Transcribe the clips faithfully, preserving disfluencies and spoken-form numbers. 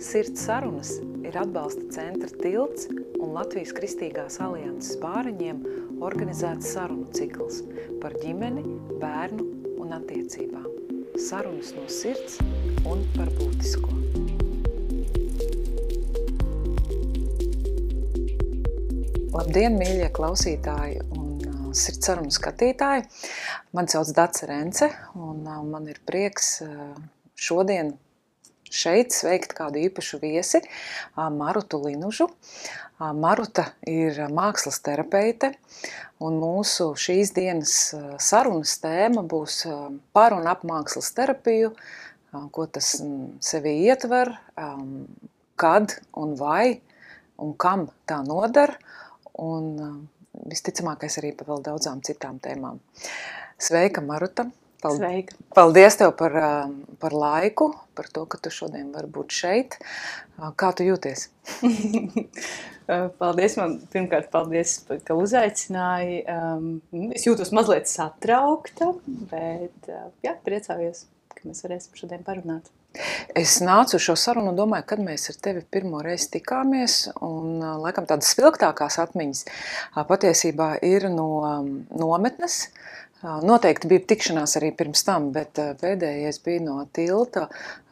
Sirds sarunas ir atbalsta centra Tilts un Latvijas Kristīgās alianses bāriņiem organizēts sarunu cikls par ģimeni, bērnu un attiecībām. Sarunas no sirds un par būtisko. Labdien, mīļie klausītāji un sirds sarunu skatītāji! Mani sauc Dace Rence un man ir prieks šodien šeit sveikt kādu īpašu viesi, Marutu Linužu. Maruta ir mākslas terapeite, un mūsu šīs dienas sarunas tēma būs par un ap mākslas terapiju, ko tas sevī ietver, kad un vai un kam tā nodara, un visticamākais arī par vēl daudzām citām tēmām. Sveika, Maruta! Paldies, Sveika. Paldies tev par, par laiku, par to, ka tu šodien vari būt šeit. Kā tu jūties? Paldies, man pirmkārt paldies, ka uzaicināji. Es jūtos mazliet satraukta, bet jā, priecājos, ka mēs varēsim šodien parunāt. Es nācu uz šo sarunu un domāju, kad mēs ar tevi pirmo reizi tikāmies, un laikam tādas spilgtākās atmiņas patiesībā ir no nometnes. Noteikti bija tikšanās arī pirms tam, bet pēdējais bija no Tilta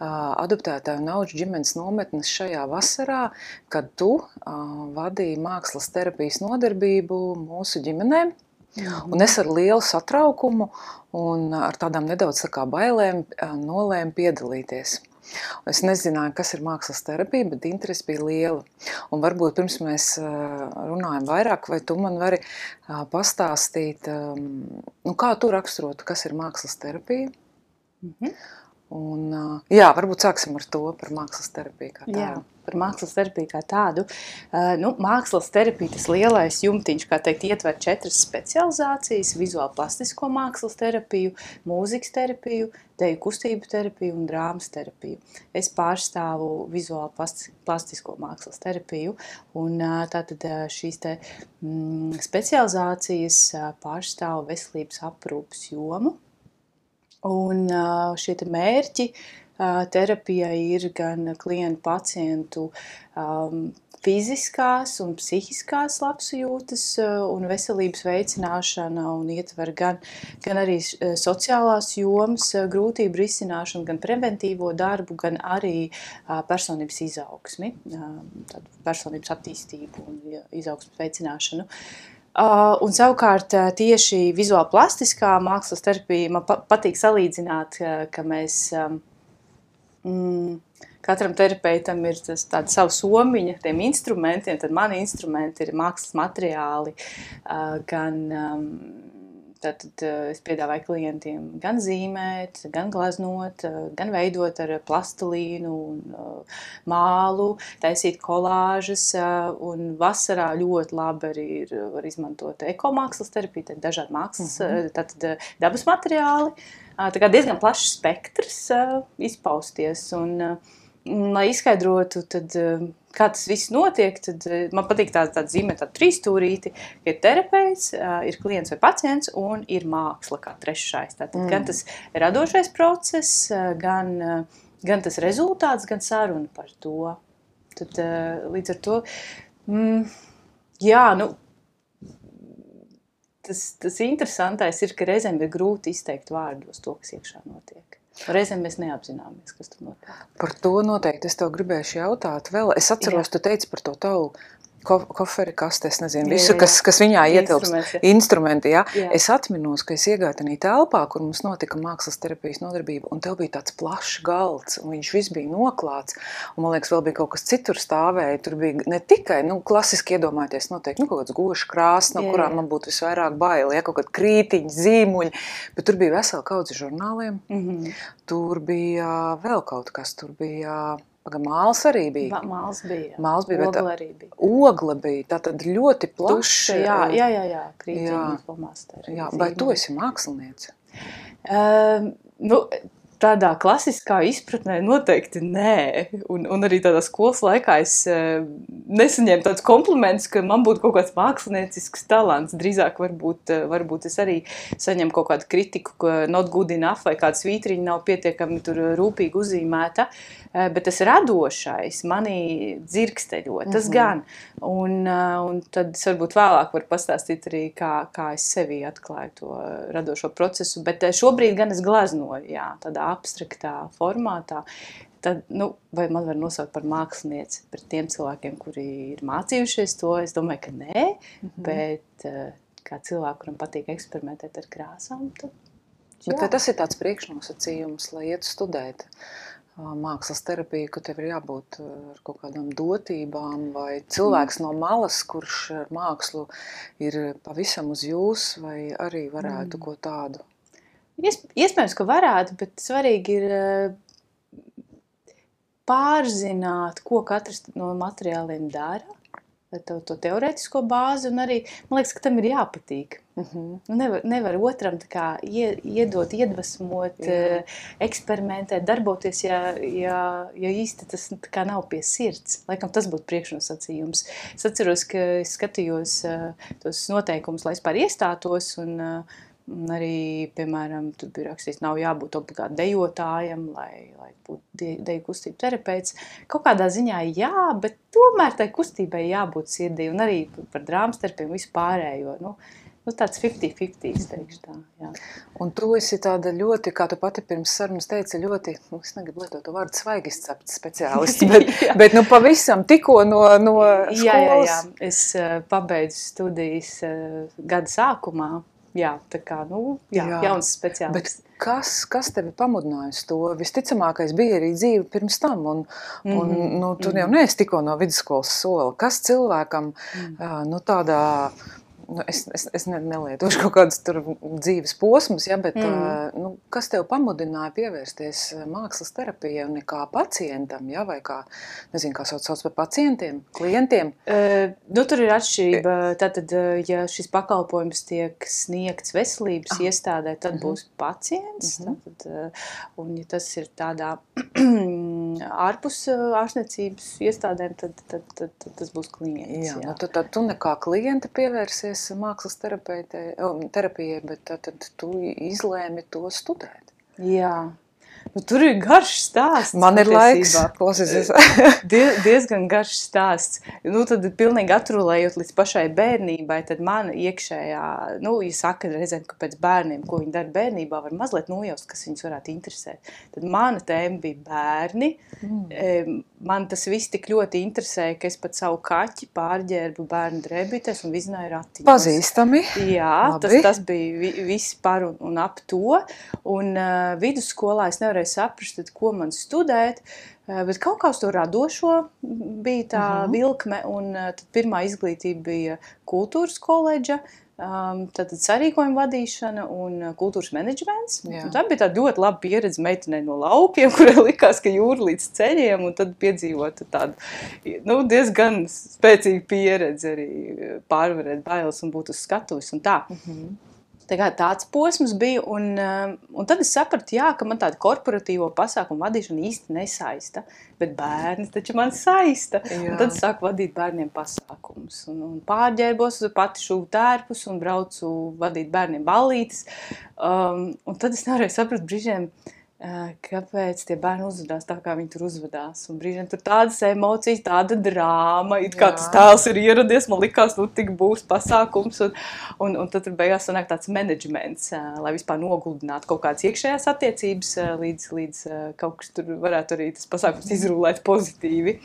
adoptētāju un auģu ģimenes nometnes šajā vasarā, kad tu vadīji mākslas terapijas nodarbību mūsu ģimenēm. Un es ar lielu satraukumu un ar tādām nedaudz tā kā bailēm nolēmu piedalīties. Es nezināju, kas ir mākslas terapija, bet interesi bija liela. Un varbūt pirms mēs runājam vairāk, vai tu man vari pastāstīt, nu, kā tu raksturotu, kas ir mākslas terapija? Mhm. Un, jā, varbūt sāksim ar to par mākslas terapiju kā tādu. Jā, par mākslas terapiju kā tādu. Nu, mākslas terapija, tas lielais jumtiņš, kā teikt, ietver četras specializācijas: vizuāli plastisko mākslas terapiju, mūzikas terapiju, deju kustību terapiju un drāmas terapiju. Es pārstāvu vizuāli plastisko mākslas terapiju, un tātad šīs te mm, specializācijas pārstāvu veselības aprūpes jomu. Un šie te mērķi terapijai ir gan klientu pacientu um, fiziskās un psihiskās labsajūtas un veselības veicināšana, un ietver gan, gan arī sociālās jomas grūtību risināšanu, gan preventīvo darbu, gan arī uh, personības izaugsmi, uh, tādu personības attīstību un izaugsmes veicināšanu. Uh, un savukārt tieši vizuāli plastiskā mākslas terapija man pa patīk salīdzināt, ka, ka mēs um, mm, katram terapeitam ir tas, tāda savu somiņa tiem instrumentiem, tad mani instrumenti ir mākslas materiāli, uh, gan um, Tātad es piedāvāju klientiem gan zīmēt, gan glaznot, gan veidot ar plastilīnu un mālu, taisīt kolāžas, un vasarā ļoti labi arī ir, var izmantot ekomākslas terapiju, tad dažādi mākslas, mm-hmm. tātad dabas materiāli, tā kā diezgan plašs spektrs izpausties, un, un lai izskaidrotu, tad kā tas viss notiek, tad man patīk tā, tā zīmē tādu trīsstūrīti, ka ir terapeits, ir klients vai pacients un ir māksla kā trešais. Tātad mm. gan tas radošais process, gan, gan tas rezultāts, gan saruna par to. Tad līdz ar to, mm, jā, nu, tas, tas interesantais ir, ka reizēm ir grūti izteikt vārdos to, kas iekšā notiek. Reizēm mēs neapzināmies, kas tur notiek. Par to noteikti es tev gribēšu jautāt vēl. Es atceros, jā. Tu teici par to tavu ko koferi kaste, es nezinu, visu, jā, jā. Kas, kas viņā ietilpst. Instrumenti, Instrumenti, jā. jā. Es atminos, ka es iegāju tajā telpā, kur mums notika mākslas terapijas nodarbība, un tev bija tāds plašs galds, un viņš viss bija noklāts, un man liekas, vēl bija kaut kas citur stāvēja. Tur bija ne tikai, nu, klasiski iedomāties noteikti, nu, kaut kāds gošs krāsts, no jā, kurām jā. Man būtu visvairāk baili, ja, kaut kādi krītiņi, zīmuļi, bet tur bija vesela kaudze žurnāliem, mm-hmm. tur bija vēl kaut kas, tur bija... Māls arī bija. Māls bija. Māls bija, Ogla arī bija. Ogla bija, tātad ļoti plaša. Tuša, jā, jā, jā, jā, krītiņi, flomasteri. Jā, vai tu esi māksliniece? Uh, nu, tādā klasiskā izpratnē noteikti nē. Un, un arī tādā skolas laikā es uh, nesaņēmu tādus komplimentus, ka man būtu kaut kāds māksliniecisks talants. Drīzāk varbūt, uh, varbūt es arī saņemu kaut kādu kritiku, ka not good enough vai kāda svītriņa nav pietiekami tur rūpīgi uzzīmēta. Uh, bet tas radošais manī dzirksteļo, tas mm-hmm. gan. Un, uh, un tad es varbūt vēlāk varu pastāstīt arī, kā, kā es sevī atklāju to radošo procesu. Bet uh, šobrīd gan es gleznoju, jā, tādā abstraktā formātā, tad, nu, vai man var nosaukt par mākslinieci pret tiem cilvēkiem, kuri ir mācījušies to? Es domāju, ka nē, mm-hmm. bet uh, kā cilvēku, kuram patīk eksperimentēt ar krāsām, tad jā. Bet vai tas ir tāds priekšnosacījums, lai iet studēt uh, mākslas terapiju, ka tev ir jābūt uh, ar kaut kādām dotībām, vai cilvēks mm. no malas, kurš ar mākslu ir pavisam uz jūs, vai arī varētu mm. ko tādu? Iespējams, ka varētu, bet svarīgi ir pārzināt, ko katrs no materiāliem dara, to, to teorētisko bāzi, un arī, man liekas, ka tam ir jāpatīk. Uh-huh. Nevar, nevar otram tā kā iedot, iedvesmot, Jā. eksperimentēt, darboties, ja, ja, ja īsti tas tā kā nav pie sirds. Laikam tas būtu priekšnosacījums. Es atceros, ka es skatījos tos noteikumus, lai es pār iestātos, un Un arī, piemēram, tur bija rakstīts, nav jābūt obligāti dejotājam, lai, lai būtu deju kustību terapeits. Kaut kādā ziņā jā, bet tomēr tai kustībai jābūt sirdī. Un arī par drāmas terapiju visu pārējo. Nu, nu tāds fifty fifty, es teikšu tā. Jā. Un tu esi tāda ļoti, kā tu pati pirms sarunas teici, ļoti, nu, es negribu lietot to vārdu svaigi izcepts speciālists, bet, bet nu pavisam tikko no, no skolas. Jā, jā, jā. Es uh, pabeidzu studijas uh, gada sākumā. Jā, tā kā, nu, jā, jā. Jauns speciālists. Bet kas, kas tevi pamudinājusi to? Visticamākais bija arī dzīve pirms tam, un, mm-hmm. un nu, tu mm-hmm. jau neesi tikko no vidusskolas sola. Kas cilvēkam, mm. nu, tādā, nu, es, es, es nelietošu kaut kādus tur dzīves posmus, ja, bet, mm. nu, kas tev pamudināja pievērsties mākslas terapijai un kā pacientam, ja, vai kā, nezinu, kā sauc, sauc par pacientiem, klientiem? Uh, nu, tur ir atšķirība. Tātad, ja šis pakalpojums tiek sniegts veselības ah. iestādē, tad uh-huh. būs pacients. Uh-huh. Tātad, un ja tas ir tādā ārpus ārstniecības iestādēm, tad, tad, tad, tad tas būs klients. Jā, jā. Nu, tad, tad tu nekā klienta pievērsies mākslas terapijai, bet tad, tad tu izlēmi to studēt. Jā. Nu, tur ir garš stāsts. Man ir laiks, klausies. Die, diezgan garš stāsts. Nu, tad pilnīgi atrulējot līdz pašai bērnībai, tad man iekšējā, nu, ja saka reizēm, ka pēc bērniem, ko viņi dara bērnībā, var mazliet nojaust, kas viņus varētu interesēt. Tad mana tēma bija bērni. Mm. Man tas viss tik ļoti interesēja, ka es pat savu kaķi pārģērbu bērnu drēbītēs un vizināju ratiņos. Pazīstami. Jā, tas, tas bija vi, viss par un, un ap to. Un uh, vidusskolā es nevarēju saprast, tad, ko man studēt, bet kaut kā uz to radošo bija tā uh-huh. vilkme, un tad pirmā izglītība bija kultūras koledža, tad sarīkojuma vadīšana un kultūras menedžments. Tā bija tā ļoti laba pieredze meitenei no laukiem, kurai likās, ka jūra līdz ceļiem, un tad piedzīvot tādu, nu, diezgan spēcīgu pieredzi arī pārvarēt bailes un būt uz skatuves un tā. Uh-huh. Tā kā tāds posms bija, un, un tad es sapratu, jā, ka man tāda korporatīvo pasākumu vadīšana īsti nesaista, bet bērni taču man saista. Jā. Un tad es sāku vadīt bērniem pasākumus, un, un pārģērbos, pati šuvu tērpus un braucu vadīt bērniem ballītes. Um, un tad es nevarēju saprast brīžiem, kāpēc tie bērni uzvedās tā, kā viņi tur uzvedās. Un brīžiem tur tādas emocijas, tāda drāma, it kā tas tēls ir ieradies, man likās, nu tik būs pasākums, un, un, un tad tur beigās sanāk tāds menedžments, lai vispār noguldinātu kaut kādas iekšējās attiecības, līdz, līdz kaut kas tur varētu arī tas pasākums izrulēt pozitīvi.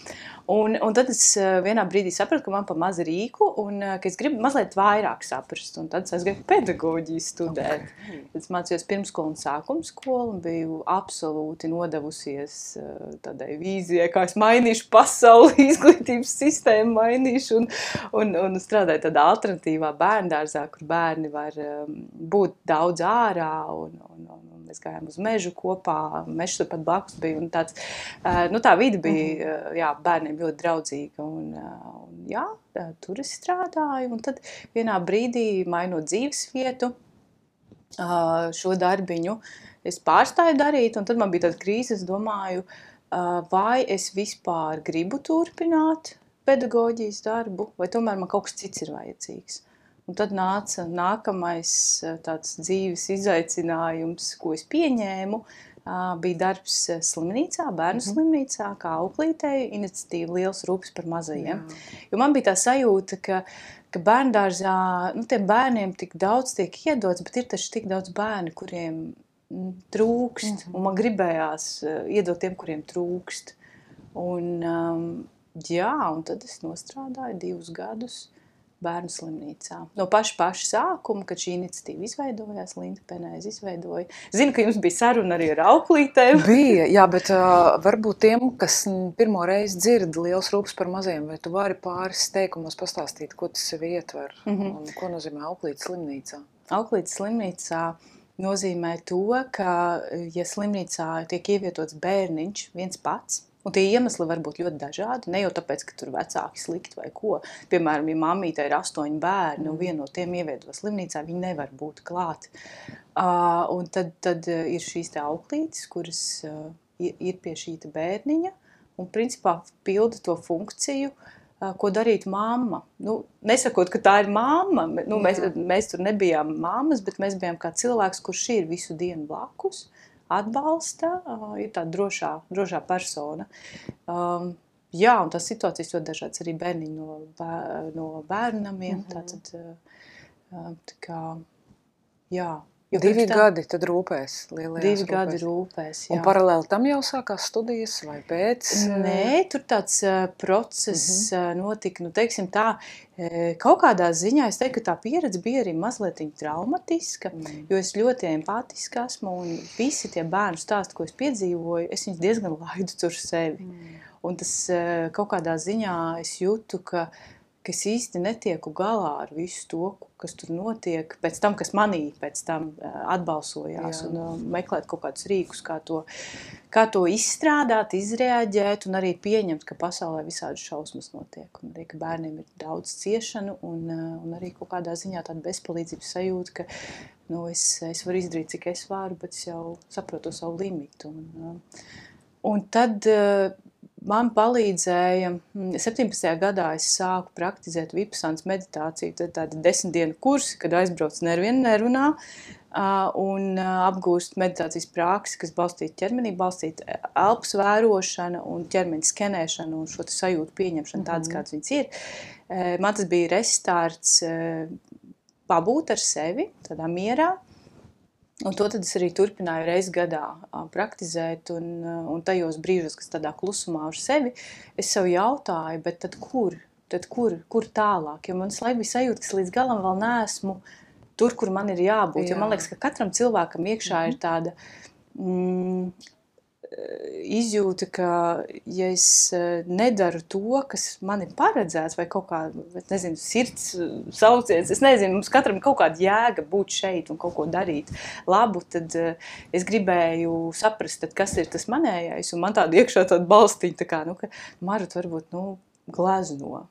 Un, un tad es vienā brīdī sapratu, ka man pa maz rīku, un ka es gribu mazliet vairāk saprast, un tad es gribu pedagoģiju studēt. Okay. Tad es mācījos pirmskolu un sākuma skolu, un biju absolūti nodevusies tādai vīzijai, kā es mainīšu pasauli, izglītības sistēmu mainīšu, un, un, un strādāju tādā alternatīvā bērndārzā, kur bērni var būt daudz ārā, un, un, un mēs gājām uz mežu kopā, mežs tur pat blakus bija, un tāds, nu tā vide bija, jā, bērniem ļoti draudzīga, un, un jā, tur es strādāju, un tad vienā brīdī mainot dzīves vietu, šo darbiņu, es pārstāju darīt, un tad man bija tāda krīze, es domāju, vai es vispār gribu turpināt pedagoģijas darbu, vai tomēr man kaut kas cits ir vajadzīgs. Un tad nāca nākamais tāds dzīves izaicinājums, ko es pieņēmu, bija darbs slimnīcā, bērnu mm-hmm. slimnīcā, kā auklītei, iniciatīva Liels rūpes par mazajiem. Jā. Jo man bija tā sajūta, ka, ka bērndārzā, nu, tiem bērniem tik daudz tiek iedots, bet ir taču tik daudz bērni, kuriem trūkst, mm-hmm. un man gribējās iedot tiem, kuriem trūkst. Un, um, jā, un tad es nostrādāju divus gadus bērnu slimnīcā. No paša paša sākuma, kad šī iniciatīva izveidojās, Linda Penēze izveidoja. Zinu, ka jums bija saruna arī ar auklītēm. Bija, jā, bet uh, varbūt tiem, kas pirmo reizi dzird Liels rūpes par mazajiem, vai tu vari pāris teikumos pastāstīt, ko tas sevi ietver, mm-hmm. un ko nozīmē auklītes slimnīcā? Auklītes slimnīcā nozīmē to, ka, ja slimnīcā tiek ievietots bērniņš viens pats, un tie iemesli var būt ļoti dažādi, ne jau tāpēc, ka tur vecāki slikti vai ko. Piemēram, ja mammīte ir astoņi bērni, un vienu no tiem ievieto slimnīcā, viņi nevar būt klāt. Uh, un tad, tad ir šīs te auklītes, kuras uh, ir pie šī te bērniņa, un principā pilda to funkciju, ko darīt mamma. Nu, nesakot, ka tā ir mamma, nu, mēs, mēs tur nebijām mammas, bet mēs bijām kā cilvēks, kurš ir visu dienu blakus, atbalsta, ir tāda drošā, drošā persona. Um, jā, un tās situācijas ļoti dažādas, arī bērniņi no, bēr, no bērnamiem, mm-hmm. tātad, tā kā, jā. Jo divi tā, gadi tad rūpēs, lielajās divi rūpēs. Gadi rūpēs, jā. Un paralēli tam jau sākās studijas vai pēc? Nē, tur tāds uh, process mm-hmm. notika, nu teiksim tā, kaut kādā ziņā es teiktu, ka tā pieredze bija arī mazliet traumatiska, mm. jo es ļoti empātiska esmu un visi tie bērnu stāsti, ko es piedzīvoju, es viņus diezgan laidu tur sevi. Mm. Un tas uh, kaut kādā ziņā es jūtu, ka ka es īsti netieku galā ar visu to, kas tur notiek, pēc tam, kas manī pēc tam atbalsojās, Jā. un uh, meklēt kaut kādus rīkus, kā to, kā to izstrādāt, izreaģēt un arī pieņemt, ka pasaulē visādi šausmas notiek, un arī, ka bērniem ir daudz ciešanu un, uh, un arī kaut kādā ziņā tāda bezpalīdzības sajūta, ka nu, es, es varu izdarīt, cik es varu, bet es jau saprotu savu limitu. Un, uh, un tad... Uh, Man palīdzēja, septiņpadsmitajā gadā es sāku praktizēt Vipasānas meditāciju, tad tādi desmit dienu kursi, kad aizbrauc nevienu nerunā un apgūst meditācijas praksi, kas balstīta ķermenī, balstīta elpas vērošana un ķermeņa skenēšana un šo sajūtu pieņemšana tādas, mm-hmm. kāds viņas ir. Man tas bija restarts pabūt ar sevi, tādā mierā. Un to tad es arī turpināju reizi gadā praktizēt, un, un tajos brīžos, kas tādā klusumā ar sevi, es sev jautāju, bet tad kur? Tad kur, kur tālāk? Jo man laikam bija sajūta, ka līdz galam vēl neesmu tur, kur man ir jābūt. Jā. Jo man liekas, ka katram cilvēkam iekšā mm-hmm. ir tāda mm, izjūta, ka ja es nedaru to, kas man ir paredzēts, vai kaut kā, nezinu, sirds sauciens, es nezinu, mums katram kaut kāda jēga būt šeit un kaut ko darīt labu, tad es gribēju saprast, tad kas ir tas manējais, un man tāda iekšā tāda balstiņa, tā kā, nu, ka Marut varbūt, nu, glezno.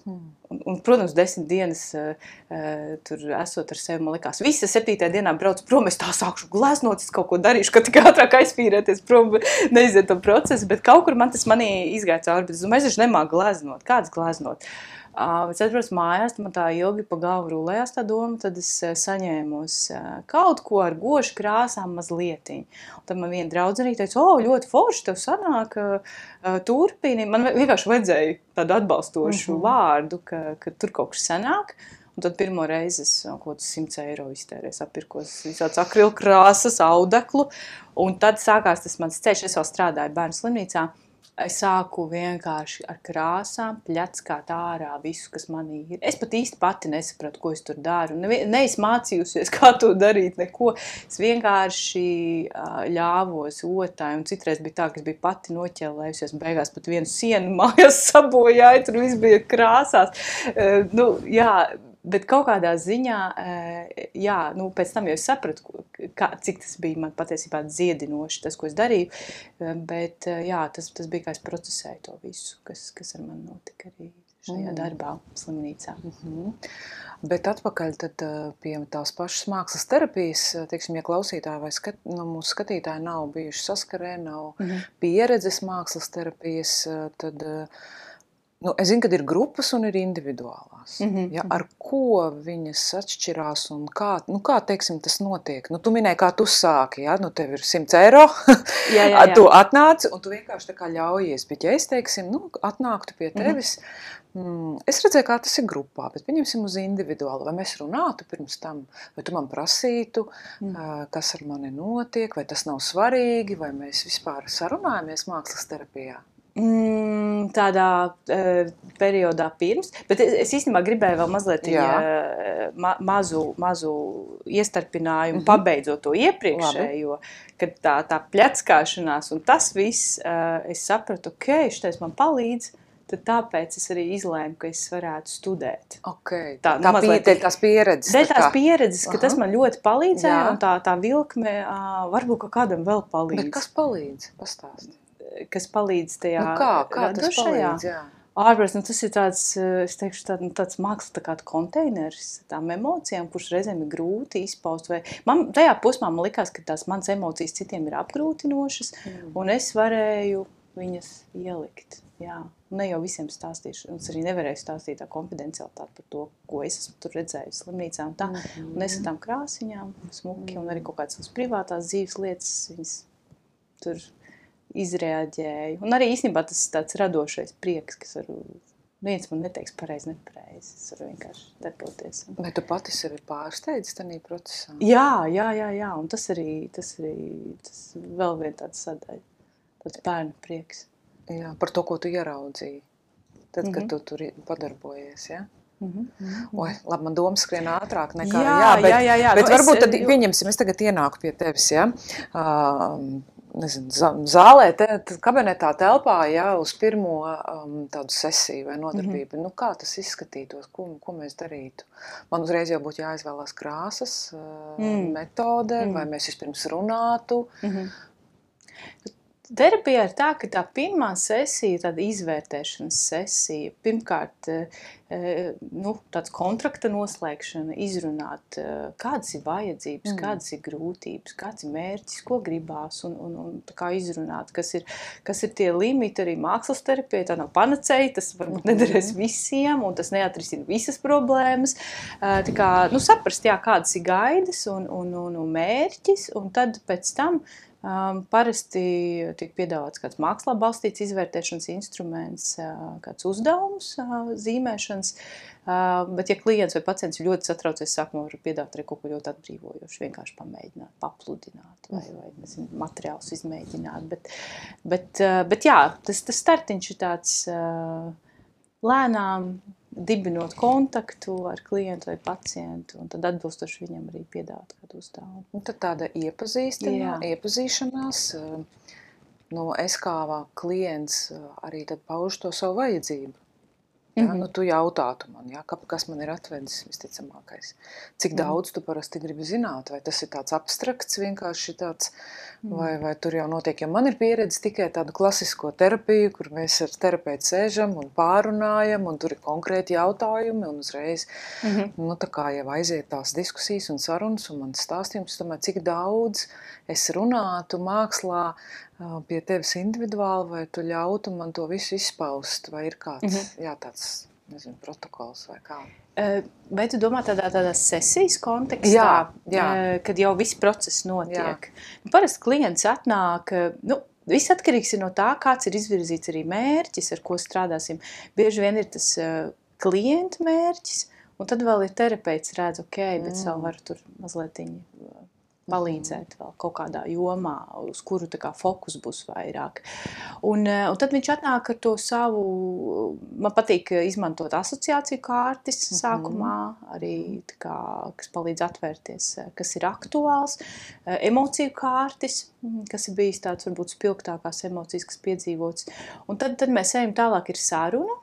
Hmm. Un, un, protams, desmit dienas uh, uh, tur esot ar sevi, man likās, visi septītajā dienā braucu prom, es tā sākšu gleznot, es kaut ko darīšu, ka tik ātrāk aizpīrēties prom, neiziet to procesu, bet kaut kur man tas manī izgāja cauri, bet es domāju, es nemāku gleznot, kāds gleznot? Uh, es atbraucu mājās, man tā ilgi pa galvu rulējās tā doma, tad es uh, saņēmos uh, kaut ko ar gošu krāsām mazlietiņu. Un tad man viena draudzenīte teica, o, ļoti forši tev sanāk, uh, turpini. Man vienkārši vajadzēja tādu atbalstošu mm-hmm. vārdu, ka, ka tur kaut kas sanāk. Un tad pirmo reizi es kaut kāds simts eiro iztērēju, sapirkos visāds akrilkrāsas, audeklu. Un tad sākās tas mans ceļš, es vēl strādāju bērnu slimnīcā. Es sāku vienkārši ar krāsām pļackāt ārā visu, kas manī ir. Es pat īsti pati nesapratu, ko es tur daru. Ne, ne es mācījusies, kā to darīt, neko. Es vienkārši uh, ļāvos otāji, un citreiz bija tā, ka es biju pati noķēlējusies, beigās pat vienu sienu mājās sabojāju, tur viss bija krāsās. Uh, nu, jā, bet kaut kādā ziņā, jā, nu, pēc tam jau es sapratu, kā, cik tas bija man patiesībā dziedinoši, tas, ko es darīju, bet jā, tas, tas bija, kā es procesēju to visu, kas, kas ar mani notika arī šajā mm. darbā slimnīcā. Mm-hmm. Bet atpakaļ tad pie tās pašas mākslas terapijas, teiksim, ja klausītāji vai skat, nu, mūsu skatītāji nav bijuši saskarē, nav mm-hmm. pieredzes mākslas terapijas, tad, nu, es zinu, kad ir grupas un ir individuālās. Mm-hmm. Ja, ar ko viņas atšķirās un kā, nu, kā, teiksim, tas notiek? Nu, tu minēji, kā tu sāki, ja? Nu, tev ir simts eiro, jā, jā, jā. Tu atnāci un tu vienkārši tā kā ļaujies, bet ja es, teiksim, nu, atnāktu pie tevis, mm-hmm. Mm, es redzēju, kā tas ir grupā, bet pieņemsim uz individuāli. Vai mēs runātu pirms tam, vai tu man prasītu, mm. kas ar mani notiek, vai tas nav svarīgi, vai mēs vispār sarunājamies mākslas terapijā? Mm, tādā uh, periodā pirms, bet es, es īstenībā gribēju vēl mazliet uh, ma mazu, mazu iestarpinājumu, mm-hmm. pabeidzot to iepriekšējo, kad tā, tā pļackāšanās un tas viss, uh, es sapratu, ok, šitais man palīdz, tad tāpēc es arī izlēmu, ka es varētu studēt. Okay. Tā, tā nu, mazliet, dēļ tās pieredzes. Dēļ tās pieredzes, ka Aha. tas man ļoti palīdzēja, Jā. un tā, tā vilkme uh, varbūt ka kādam vēl palīdz. Bet kas palīdz? Pastāst. Kas palīdz tajā nu kā, kā tas palīdz, jā. Ārprāt, nu, tas ir tāds, es teikšu, tā, nu, tāds māksla, tā kā konteiners tām emocijām, kurš reizēm ir grūti izpaust. Vai... Man, tajā posmā man likās, ka tās manas emocijas citiem ir apgrūtinošas, mm. un es varēju viņas ielikt. Jā. Ne jau visiem stāstīšu, un es arī nevarēju stāstīt tā konfidencialitāti par to, ko es esmu tur redzējusi slimnīcā un tā. Mm. Un es ar tām krāsiņām, smuki, mm. un arī kaut kādas privātās dzīves lietas, viņas tur izreaģēju. Un arī īstenībā tas tāds radošais prieks, kas varu, viens man neteiks pareizi, nepareizi, es varu vienkārši darboties. Vai tu pati sevi pārsteidzi tajā procesā? Jā, jā, jā, jā, un tas arī, tas arī, tas vēl vien tāds sadaļa, tāds bērnu prieks. Jā, par to, ko tu ieraudzīji, tad, Mm-hmm. kad tu tur padarbojies, ja? Mm-hmm. Oi, labi, man doma skrien ātrāk nekā, jā, jā, bet, jā, jā, jā. bet Nu, varbūt es, tad, pieņemsim, es tagad ienāku pie tevis, ja? Uh, nezinu, zālē, te, kabinetā telpā, ja, uz pirmo um, tādu sesiju vai nodarbību. Mm-hmm. Nu, kā tas izskatītos, ko, ko mēs darītu? Man uzreiz jau būtu jāizvēlās krāsas, uh, mm. metode, mm. vai mēs vispirms runātu. Mm-hmm. Terapijā ir tā, ka tā pirmā sesija, tāda izvērtēšanas sesija, pirmkārt, nu, tāds kontrakta noslēgšana, izrunāt, kādas ir vajadzības, mm. kādas ir grūtības, kāds ir mērķis, ko gribās, un, un, un tā kā izrunāt, kas ir, kas ir tie limiti arī mākslas terapijai, tā nav panacēja, tas varbūt nederēs visiem, un tas neatrisina visas problēmas. Tā kā, nu, saprast, jā, kādas ir gaidas un, un, un, un mērķis, un tad pēc tam Um, parasti tiek piedāvāts kāds mākslā balstīts izvērtēšanas instruments, uh, kāds uzdevums uh, zīmēšanas, uh, bet ja klients vai pacients ļoti satraucies, sākumā var piedāvāt arī kaut ko ļoti atbrīvojošu, vienkārši pamēģināt, papludināt vai, vai nezinu, materiālus izmēģināt, bet, bet, uh, bet jā, tas, tas startiņš ir tāds uh, lēnām, dibinot kontaktu ar klientu vai pacientu, un tad atbilstoši viņam arī piedāvāt kādu uzdevumu. Un tad tāda iepazīstina, iepazīšanās, no es kā klients arī tad paužu to savu vajadzību. Ja? Mm-hmm. Nu, tu jautātu man, ja? Kas man ir atvedis visticamākais. Cik daudz tu parasti gribi zināt, vai tas ir tāds abstrakts, vienkārši tāds, mm. vai, vai tur jau notiek, ja man ir pieredze tikai tādu klasisko terapiju, kur mēs ar terapeitu sēžam un pārunājam, un tur ir konkrēti jautājumi, un uzreiz, mm-hmm. nu, tā kā jau aiziet tās diskusijas un sarunas, un man stāstījums, tomēr, cik daudz es runātu mākslā pie tevis individuāli, vai tu ļautu man to visu izpaust, vai ir kāds, mm-hmm. jā, tāds, nezinu, protokols vai kā. Vai tu domā tādā, tādā sesijas kontekstā, jā, jā. kad jau viss process notiek? Parasti klients atnāk, nu, viss atkarīgs ir no tā, kāds ir izvirzīts arī mērķis, ar ko strādāsim. Bieži vien ir tas klienta mērķis, un tad vēl ir terapeits redz, ok, bet mm. vēl var tur mazlietiņi palīdzēt vēl kaut kādā jomā, uz kuru tā kā fokus būs vairāk. Un, un tad viņš atnāk ar to savu, man patīk izmantot asociāciju kārtis mm-hmm. sākumā, arī tā kā, kas palīdz atvērties, kas ir aktuāls, emociju kārtis, kas ir bijis tāds varbūt spilgtākās emocijas, kas piedzīvots. Un tad, tad mēs ejam tālāk ir saruna,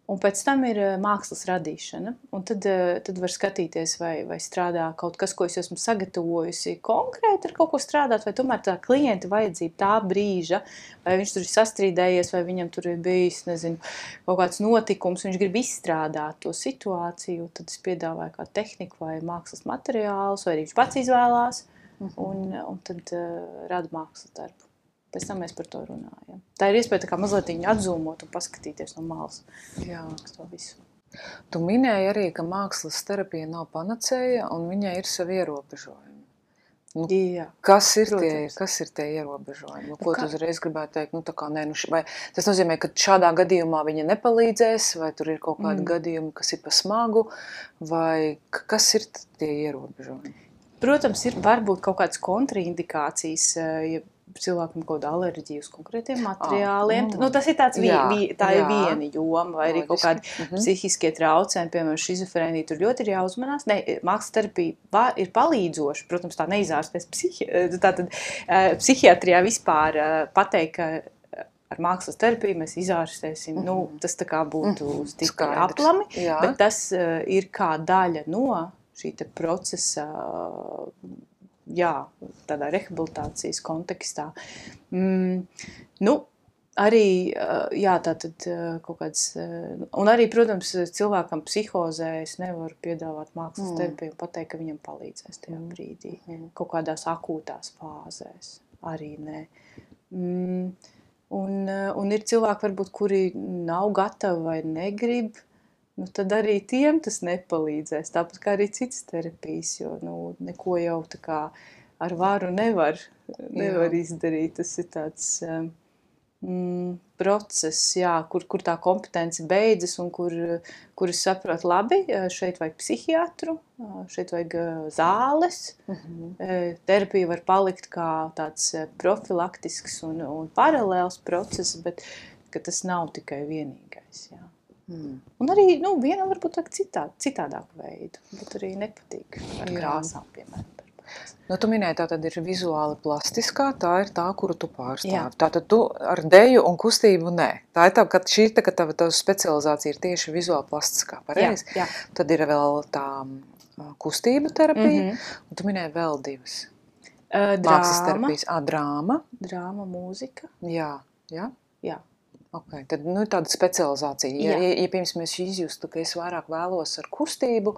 Un pēc tam ir mākslas radīšana, un tad, tad var skatīties, vai, vai strādā kaut kas, ko es esmu sagatavojusi konkrēti ar kaut ko strādāt, vai tomēr tā klienta vajadzība tā brīža, vai viņš tur ir sastrīdējies, vai viņam tur ir bijis, nezinu, kaut kāds notikums, viņš grib izstrādāt to situāciju, tad es piedāvāju kā tehniku vai mākslas materiālus, vai arī viņš pats izvēlās, un, un tad uh, rada mākslas darbu. Pēc tam mēs par to runājam. Tā ir iespēja tā kā mazliet viņu atzūmot un paskatīties no malas. Jā. To visu. Tu minēji arī, ka mākslas terapija nav panacēja un viņai ir savi ierobežojumi. Nu, Jā, kas, ir tie, protams. kas ir tie ierobežojumi? Nu, ko Nu, kā- tu uzreiz gribētu teikt? Nu, tā kā, nē, nu, š- vai tas nozīmē, ka šādā gadījumā viņa nepalīdzēs, vai tur ir kaut kādi Mm. gadījumi, kas ir pa smagu, vai k- kas ir t- tie ierobežojumi? Protams, ir varbūt kaut kādas kontraindikācijas, eh, ja cilvēkam kaut kāda alerģija uz konkrētiem materiāliem. nu, Nu, tas ir tāds, vi, jā, vi, tā jā. ir viena joma, vai arī kaut kādi Loģiski. Mhm. psihiskie traucējumi, piemēram, šizofrēnija, tur ļoti ir jāuzmanās. Ne, mākslas terapija va- ir palīdzoša, protams, tā neizārstēs psihi, tātad eh, psihiatrijā vispār eh, pateikt, ka eh, ar mākslas terapiju mēs izārstēsim, nu, tas tā kā būtu Mhm. stiprā Skaidrs. aplami, Jā. bet tas uh, ir kā daļa no šī te procesa, jā, tādā rehabilitācijas kontekstā. Mm, nu, arī, uh, jā, tātad uh, kaut kāds, uh, un arī, protams, cilvēkam psihozē es nevaru piedāvāt mākslas Mm. terapiju un pateikt, ka viņam palīdzēs tajā brīdī. Mhm. Kaut kādās akūtās fāzēs arī nē. Mm, un, uh, un ir cilvēki, varbūt, kuri nav gatavi vai negrib, nu tad arī tiem tas nepalīdzēs. Tāpat kā arī citas terapijas, jo nu, neko jau tā kā ar varu nevar, nevar Jā. izdarīt. Tas ir tāds um, mm, process, jā, kur, kur tā kompetence beidzas un kur, kur es saprotu labi, šeit vajag psihiatru, šeit vajag uh, zāles. Mhm. Eh, Terapija var palikt kā tāds eh, profilaktisks un, un paralēls process, bet ka tas nav tikai vienīgais. Jā. Mm. Un arī nu, vienam varbūt vajag citā, citādāku veidu, bet arī nepatīk ar Jā. krāsām, piemēram. darboties. Nu, tu minēji, tā tad ir vizuāli plastiskā, tā ir tā, kuru tu pārstāvi. Jā. Tātad tu ar deju un kustību nē. Tā ir tā, ka šī ir tā, ka tava, tava specializācija ir tieši vizuāli plastiskā, pareizi? Jā, jā. Tad ir vēl tā ā, kustību terapija, Mhm. un tu minēji vēl divas. Eh, Mākslas Drāma, terapijas. Ā, drāma, drāma, mūzika. jā, jā. Jā. Okay. Tad nu, ir tāda specializācija. Ja, Jā. ja, ja pirms mēs izjustu, ka es vairāk vēlos ar kustību,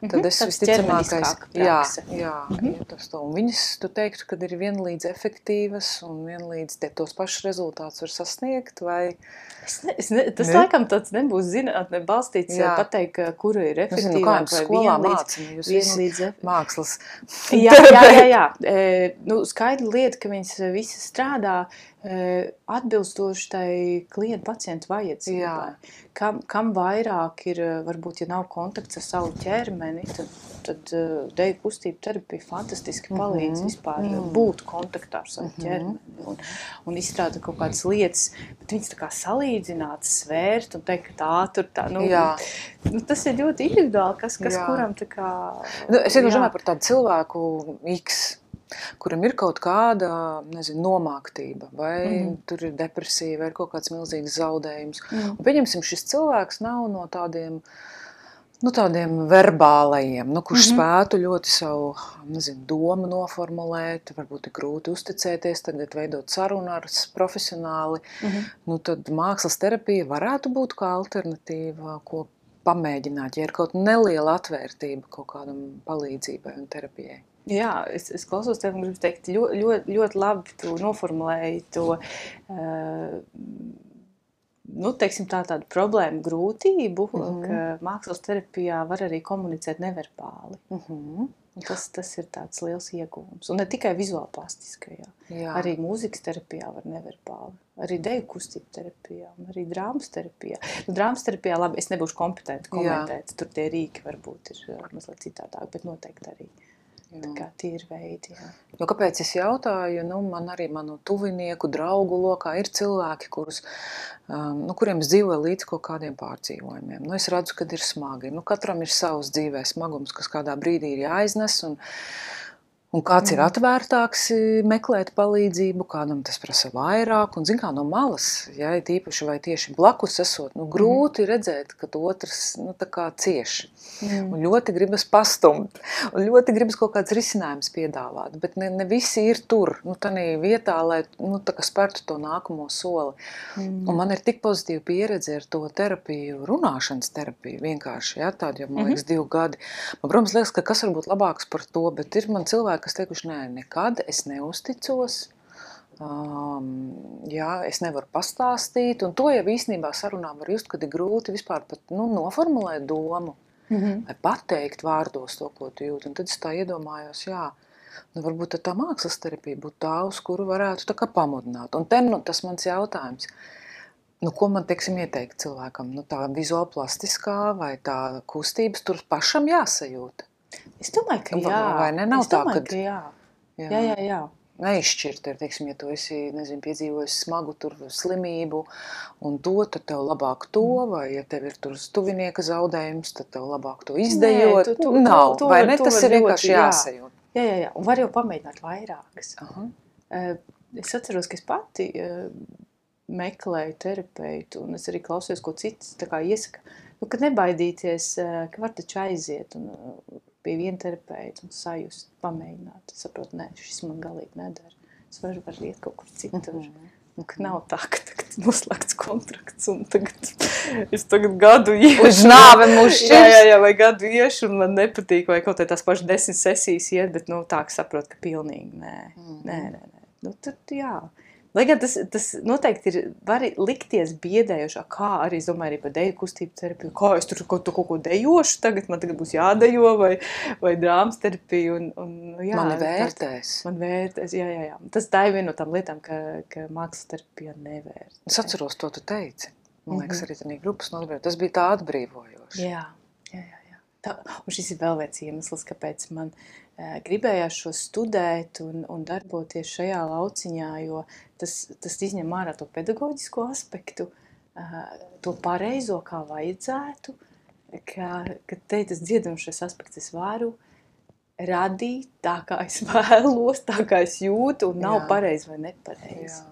tad Mhm, es tāds visticamākais, ķermeniskāka jā, prakse. jā, Mhm. jūtas to. Un viņas, tu teiktu, kad ir vienlīdz efektīvas un vienlīdz tie tos pašus rezultātus var sasniegt, vai? Es ne, es ne, tas Ne? laikam tāds nebūs zinātnē balstīts, Jā. pateikt, ka kura ir Es zinu, kā jums efektīvāk vai skolā vienlīdz, māca, nu, jūs visi vienlīdz efektīvāk. mākslas. Jā, jā, jā, jā. E, nu, skaidra lieta, ka viņas visas strādā e, atbilstoši tai klienta pacientu vajadzībai. Jā. Kam, kam vairāk ir, varbūt, ja nav kontakts ar savu ķermeni, tad, tad uh, deju kustību terapija fantastiski palīdz Mhm. vispār Mhm. būt kontaktā ar savu Mhm. ķermeni un, un izstrāda kaut kādas lietas, bet viņas tā kā salīdzināt, svērt un teikt, ka tā tur tā, nu, Jā. nu tas ir ļoti individuāli, kas, kas Jā. kuram tā kā... Nu, es vienkārši jā. domāju par tādu cilvēku X, kuram ir kaut kāda, nezinu, nomāktība, vai Mhm. tur ir depresija, vai ir kaut kāds milzīgs zaudējums. Mm. Un pieņemsim, šis cilvēks nav no tādiem, nu, tādiem verbālajiem, nu, kurš Mhm. spētu ļoti savu, nezinu, domu noformulēt, varbūt ir grūti uzticēties, tagad veidot sarunu ar s- profesionāli. Mhm. Nu, tad mākslas terapija varētu būt kā alternatīva, ko pamēģināt, ja ir kaut neliela atvērtība kaut kādam palīdzībai un terapijai. Jā, es, es klausos tev un gribu teikt, ļoti, ļoti, ļoti labi tu noformulēji to, uh, nu, teiksim tā tādu problēmu grūtību, Mhm. ka mākslas terapijā var arī komunicēt neverbāli. Mhm. Un Tas, tas ir tāds liels ieguvums. Un ne tikai vizuāli plastiskajā. Jā. Arī mūzikas terapijā var neverbāli. Arī deju kustību terapijā un arī drāmas terapijā. Nu, drāmas terapijā, labi, es nebūšu kompetenti komentēt. Tur tie rīki varbūt ir uh, mazliet citādāk, bet noteikti arī. Tā Jā. kā tie ir veidi, jā. Jo, kāpēc es jautāju, nu, man arī manu tuvinieku, draugu lokā ir cilvēki, kurus, um, nu, kuriem es dzīvoju līdz kaut kādiem pārdzīvojumiem. Nu, es redzu, kad ir smagi. Nu, katram ir savs dzīvē smagums, kas kādā brīdī ir jāiznes. Un, Un kāds ir atvērtāks meklēt palīdzību, kādam tas prasa vairāk, un zin kā no malas, ja, tīpaši vai tieši blakus esot, nu, grūti mm. redzēt, ka otrs, nu, tā kā cieši. Mm. Un ļoti gribas pastumt, un ļoti gribas kaut kāds risinājums piedāvāt, bet ne, ne visi ir tur, nu, tanī vietā, lai, nu, tā kā spērtu to nākamo soli. Mm. Un man ir tik pozitīva pieredze ar to terapiju, runāšanas terapiju vienkārši, ja, tādu jau, man liekas, mm-hmm. divu gadi. Man, protams, liekas, ka kas var būt labāks par to, bet ir man cilvēki, kas teikuši, nē, nekad es neusticos, um, jā, es nevaru pastāstīt, un to jau īstenībā sarunā var just, kad ir grūti vispār pat, nu, noformulēt domu, mm-hmm. vai pateikt vārdos to, ko tu jūti, un tad es tā iedomājos, jā, nu, varbūt tā mākslas terapija būtu tā, uz kuru varētu tā kā pamudināt, un te, nu, tas mans jautājums, nu, ko man, teiksim, ieteikt cilvēkam, nu, tā vizuālplastiskā vai tā kustības, tur pašam jāsajūta. Es domāju, ka jā. Vai ne? Nav es tā, domāju, kad... ka jā. Jā, jā, jā. jā. Neizšķirt, ir, teiksim, ja tu esi, nezinu, piedzīvojis smagu tur slimību un to, tad tev labāk to, vai ja tev ir tur stuvinieka zaudējums, tad tev labāk to izdejot. Nē, tu, tu, nav, tu, tu, vai ne? Tas ir vienkārši jāsajūt. Jā, jā, jā. Un var jau pamēģināt vairākas. Aha. Es atceros, ka es pati meklēju terapeitu, un es arī klausījos, ko cits tā kā iesaka, nu, kad nebaidīties, ka var taču aiziet un pie viena terapeita un sajust, pamēģināt. Es saprotu, nē, šis man galīgi nedara. Es varu, varu iet kaut kur citur. Mm-hmm. Un, ka nav tā, ka tagad noslēgts kontrakts un tagad es tagad gadu iešu. Uz nāve mūs šķirs. Jā, jā, jā, vai gadu iešu un man nepatīk, vai kaut tās pašas desmit sesijas iet, bet, nu, tā, ka saprotu, ka pilnīgi nē. Mm-hmm. Nē, nē, nē. Nu, tad, jā. Lai gan tas, tas noteikti ir, var likties biedējošā, kā arī, es domāju, arī par deju kustību terapiju, kā es tur kaut, kaut ko dejošu tagad, man tagad būs jādejo, vai, vai drāmas terapiju, un, un jā. Mani vērtēs. Tā, man vērtēs, jā, jā, jā. Tas tā ir viena no tām lietām, ka, ka mākslas terapija nevērtēs. Es atceros, to tu teici. Man liekas, mm-hmm. arī tā grupas nodarbība. Tas bija tā atbrīvojoši. Jā, jā, jā. jā. Tā, un šis ir vēl viens iemesls, kāpēc man e, gribējās šo studēt un, un darboties šajā lauciņā, jo tas, tas izņem ārā to pedagoģisko aspektu, e, to pareizo, kā vajadzētu, ka, ka te tas dziedamšais aspekts es varu radīt tā, kā es vēlos, tā, kā es jūtu, un nav Jā. Pareizi vai nepareizi. Jā.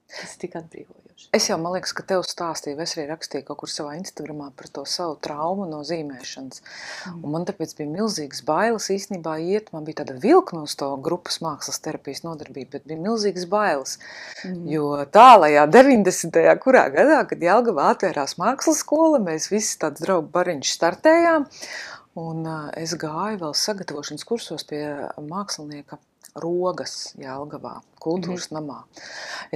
Tas ir tik atbrīvojoši. Es jau, man liekas, ka tev stāstīju, es arī rakstīju kaut kur savā Instagramā par to savu traumu no zīmēšanas. Mm. Un man tāpēc bija milzīgas bailes īstenībā iet, man bija tāda vilkme uz to grupas mākslas terapijas nodarbību, bet bija milzīgas bailes. Mm. Jo tālajā deviņdesmitajā kurā gadā, kad Jelgavā atvērās mākslas skola, mēs visi tāds draugu bariņš startējām, un uh, es gāju vēl sagatavošanas kursos pie mākslinieka Rogas Jelgavā, kultūras mm-hmm. namā.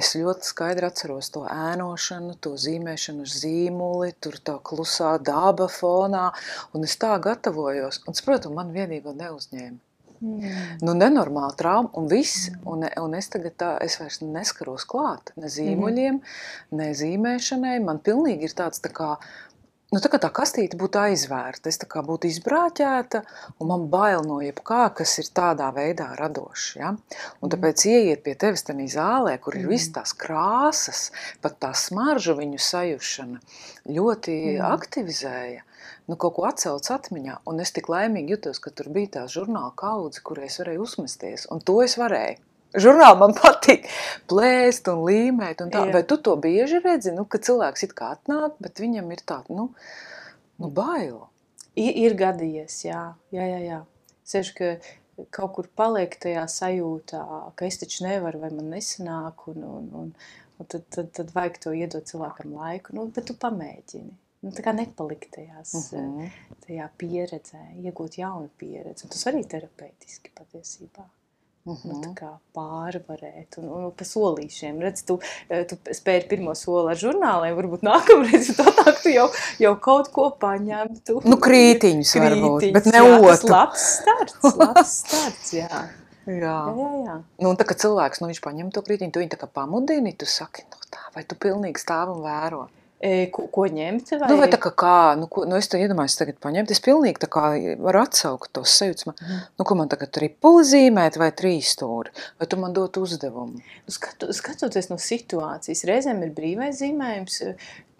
Es ļoti skaidri atceros to ēnošanu, to zīmēšanu ar zīmuli, tur tā klusā daba fonā, un es tā gatavojos, un, protams, man vienīgo neuzņēma. Mm. Nu, nenormāla trauma, un viss, mm. un, un es tagad tā, es vairs neskaros klāt, ne zīmuļiem, mm. ne zīmēšanai, man pilnīgi ir tāds tā kā, nu, tā kā tā kastīte būtu aizvērta, es tā kā būtu izbrāķēta, un man bail no jebkā, kas ir tādā veidā radošs, ja? Un tāpēc ieiet pie tevis tanī zālē, kur ir mm. visas tās krāsas, pat tā smarža viņu sajušana, ļoti mm. aktivizēja, nu, kaut ko atcelts atmiņā, un es tik laimīgi jutos, ka tur bija tās žurnāla kaudze, kur es varēju uzmesties, un to es varēju. Žurnāli man patīk plēst un līmēt un tā, Jā. Vai tu to bieži redzi, nu, ka cilvēks it kā atnāk, bet viņam ir tā, nu, nu bail. Ir, ir gadījies, jā, jā, jā, jā. Seši, ka kaut kur paliek tajā sajūtā, ka es taču nevaru vai man nesanāk, un, un, un, un tad, tad, tad vajag to iedot cilvēkam laiku, nu, bet tu pamēģini. Nu, tā kā nepalikt tajās, uh-huh. tajā pieredzē, iegūt jaunu pieredzi, un tas arī terapeitiski patiesībā. Uh-huh. Nu, tā kā pārvarēt un, un pa solīšiem. Redz, tu, tu spēri pirmo soli ar žurnāliem, varbūt nākamreiz tā tā, tu jau, jau kaut ko paņemtu. Nu, krītiņus, krītiņus varbūt, bet ne jā, otru. Tas labs starts, labs starts, jā. Jā. Jā, jā, jā. Nu, un tā, ka cilvēks, nu, viņš paņem to krītiņu, tu viņu tā kā pamudini, tu saki, nu, tā, vai tu pilnīgi stāv un vēro. E, ko, ko ņemt? Vai? Nu, vai tā kā kā, nu, ko, nu es to iedomājos tagad paņemt, es pilnīgi tā kā varu atsaukt tos sajūtas, man, mm. nu, ko man tagad tripuli zīmēt vai trīs stūri, vai tu man dot uzdevumu? Nu, skatu, skatoties no situācijas, reizēm ir brīvais zīmējums,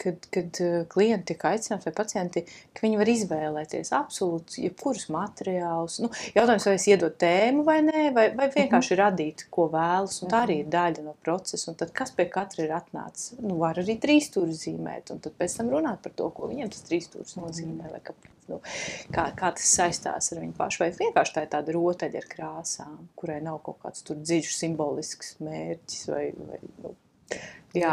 kad, kad klienti tiek aicināti vai pacienti, ka viņi var izvēlēties absolūti jebkurus materiālus. Nu, jautājums, vai es iedod tēmu vai nē, vai, vai vienkārši mm-hmm. radīt, ko vēlas, un tā arī ir daļa no procesa. Un tad kas pie katra ir atnācis? Nu, var arī trīsstūri zīmēt, un tad pēc tam runāt par to, ko viņiem tas trīsstūris nozīmē, vai kāpēc. Nu, kā, kā tas saistās ar viņu pašu, vai vienkārši tā ir tāda rotaļa ar krāsām, kurai nav kaut kāds tur dziļš simbolisks mērķis, vai, vai nu, jā.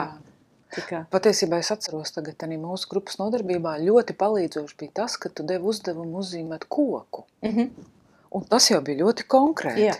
Tikā. Patiesībā es atceros tagad arī mūsu grupas nodarbībā ļoti palīdzoši bija tas, ka tu devi uzdevumu uzzīmēt koku. Mm-hmm. Un tas jau bija ļoti konkrēti. Jā.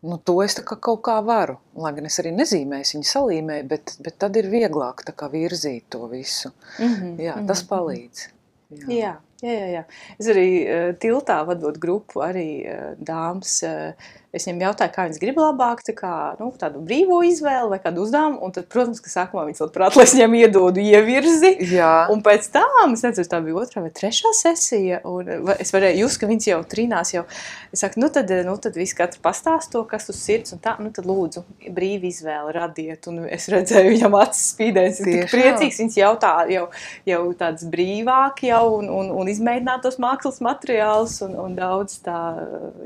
Nu, to es tā kā kaut kā varu, lai gan es arī nezīmēju, viņu salīmēju, bet, bet tad ir vieglāk tā kā virzīt to visu. Mm-hmm. Jā, tas palīdz. Jā. Jā. Jā, jā, jā. Es arī uh, tiltā vadot grupu, arī uh, dāmas, uh, es viņiem jautāju, kā viņas grib labāk, tā kā, nu, tādu brīvo izvēli vai kādu uzdevumu, un tad, protams, ka sākumā viņas labprāt, lai es viņiem iedodu ievirzi, jā. Un pēc tam, es nezinu, tā bija otrā vai trešā sesija, un es varēju just, ka viņas jau trīnās jau, es saku, nu tad, nu tad visi katru pastāst to, kas uz sirds, un tā, nu tad lūdzu, brīvi izvēli radiet, un es redzēju viņam acis spīdēs, es tik priecīgs, viņas jautā jau, jau tāds brīvāk jau, un, un, un izmēģināt tos mākslas materiālus, un, un daudz tā,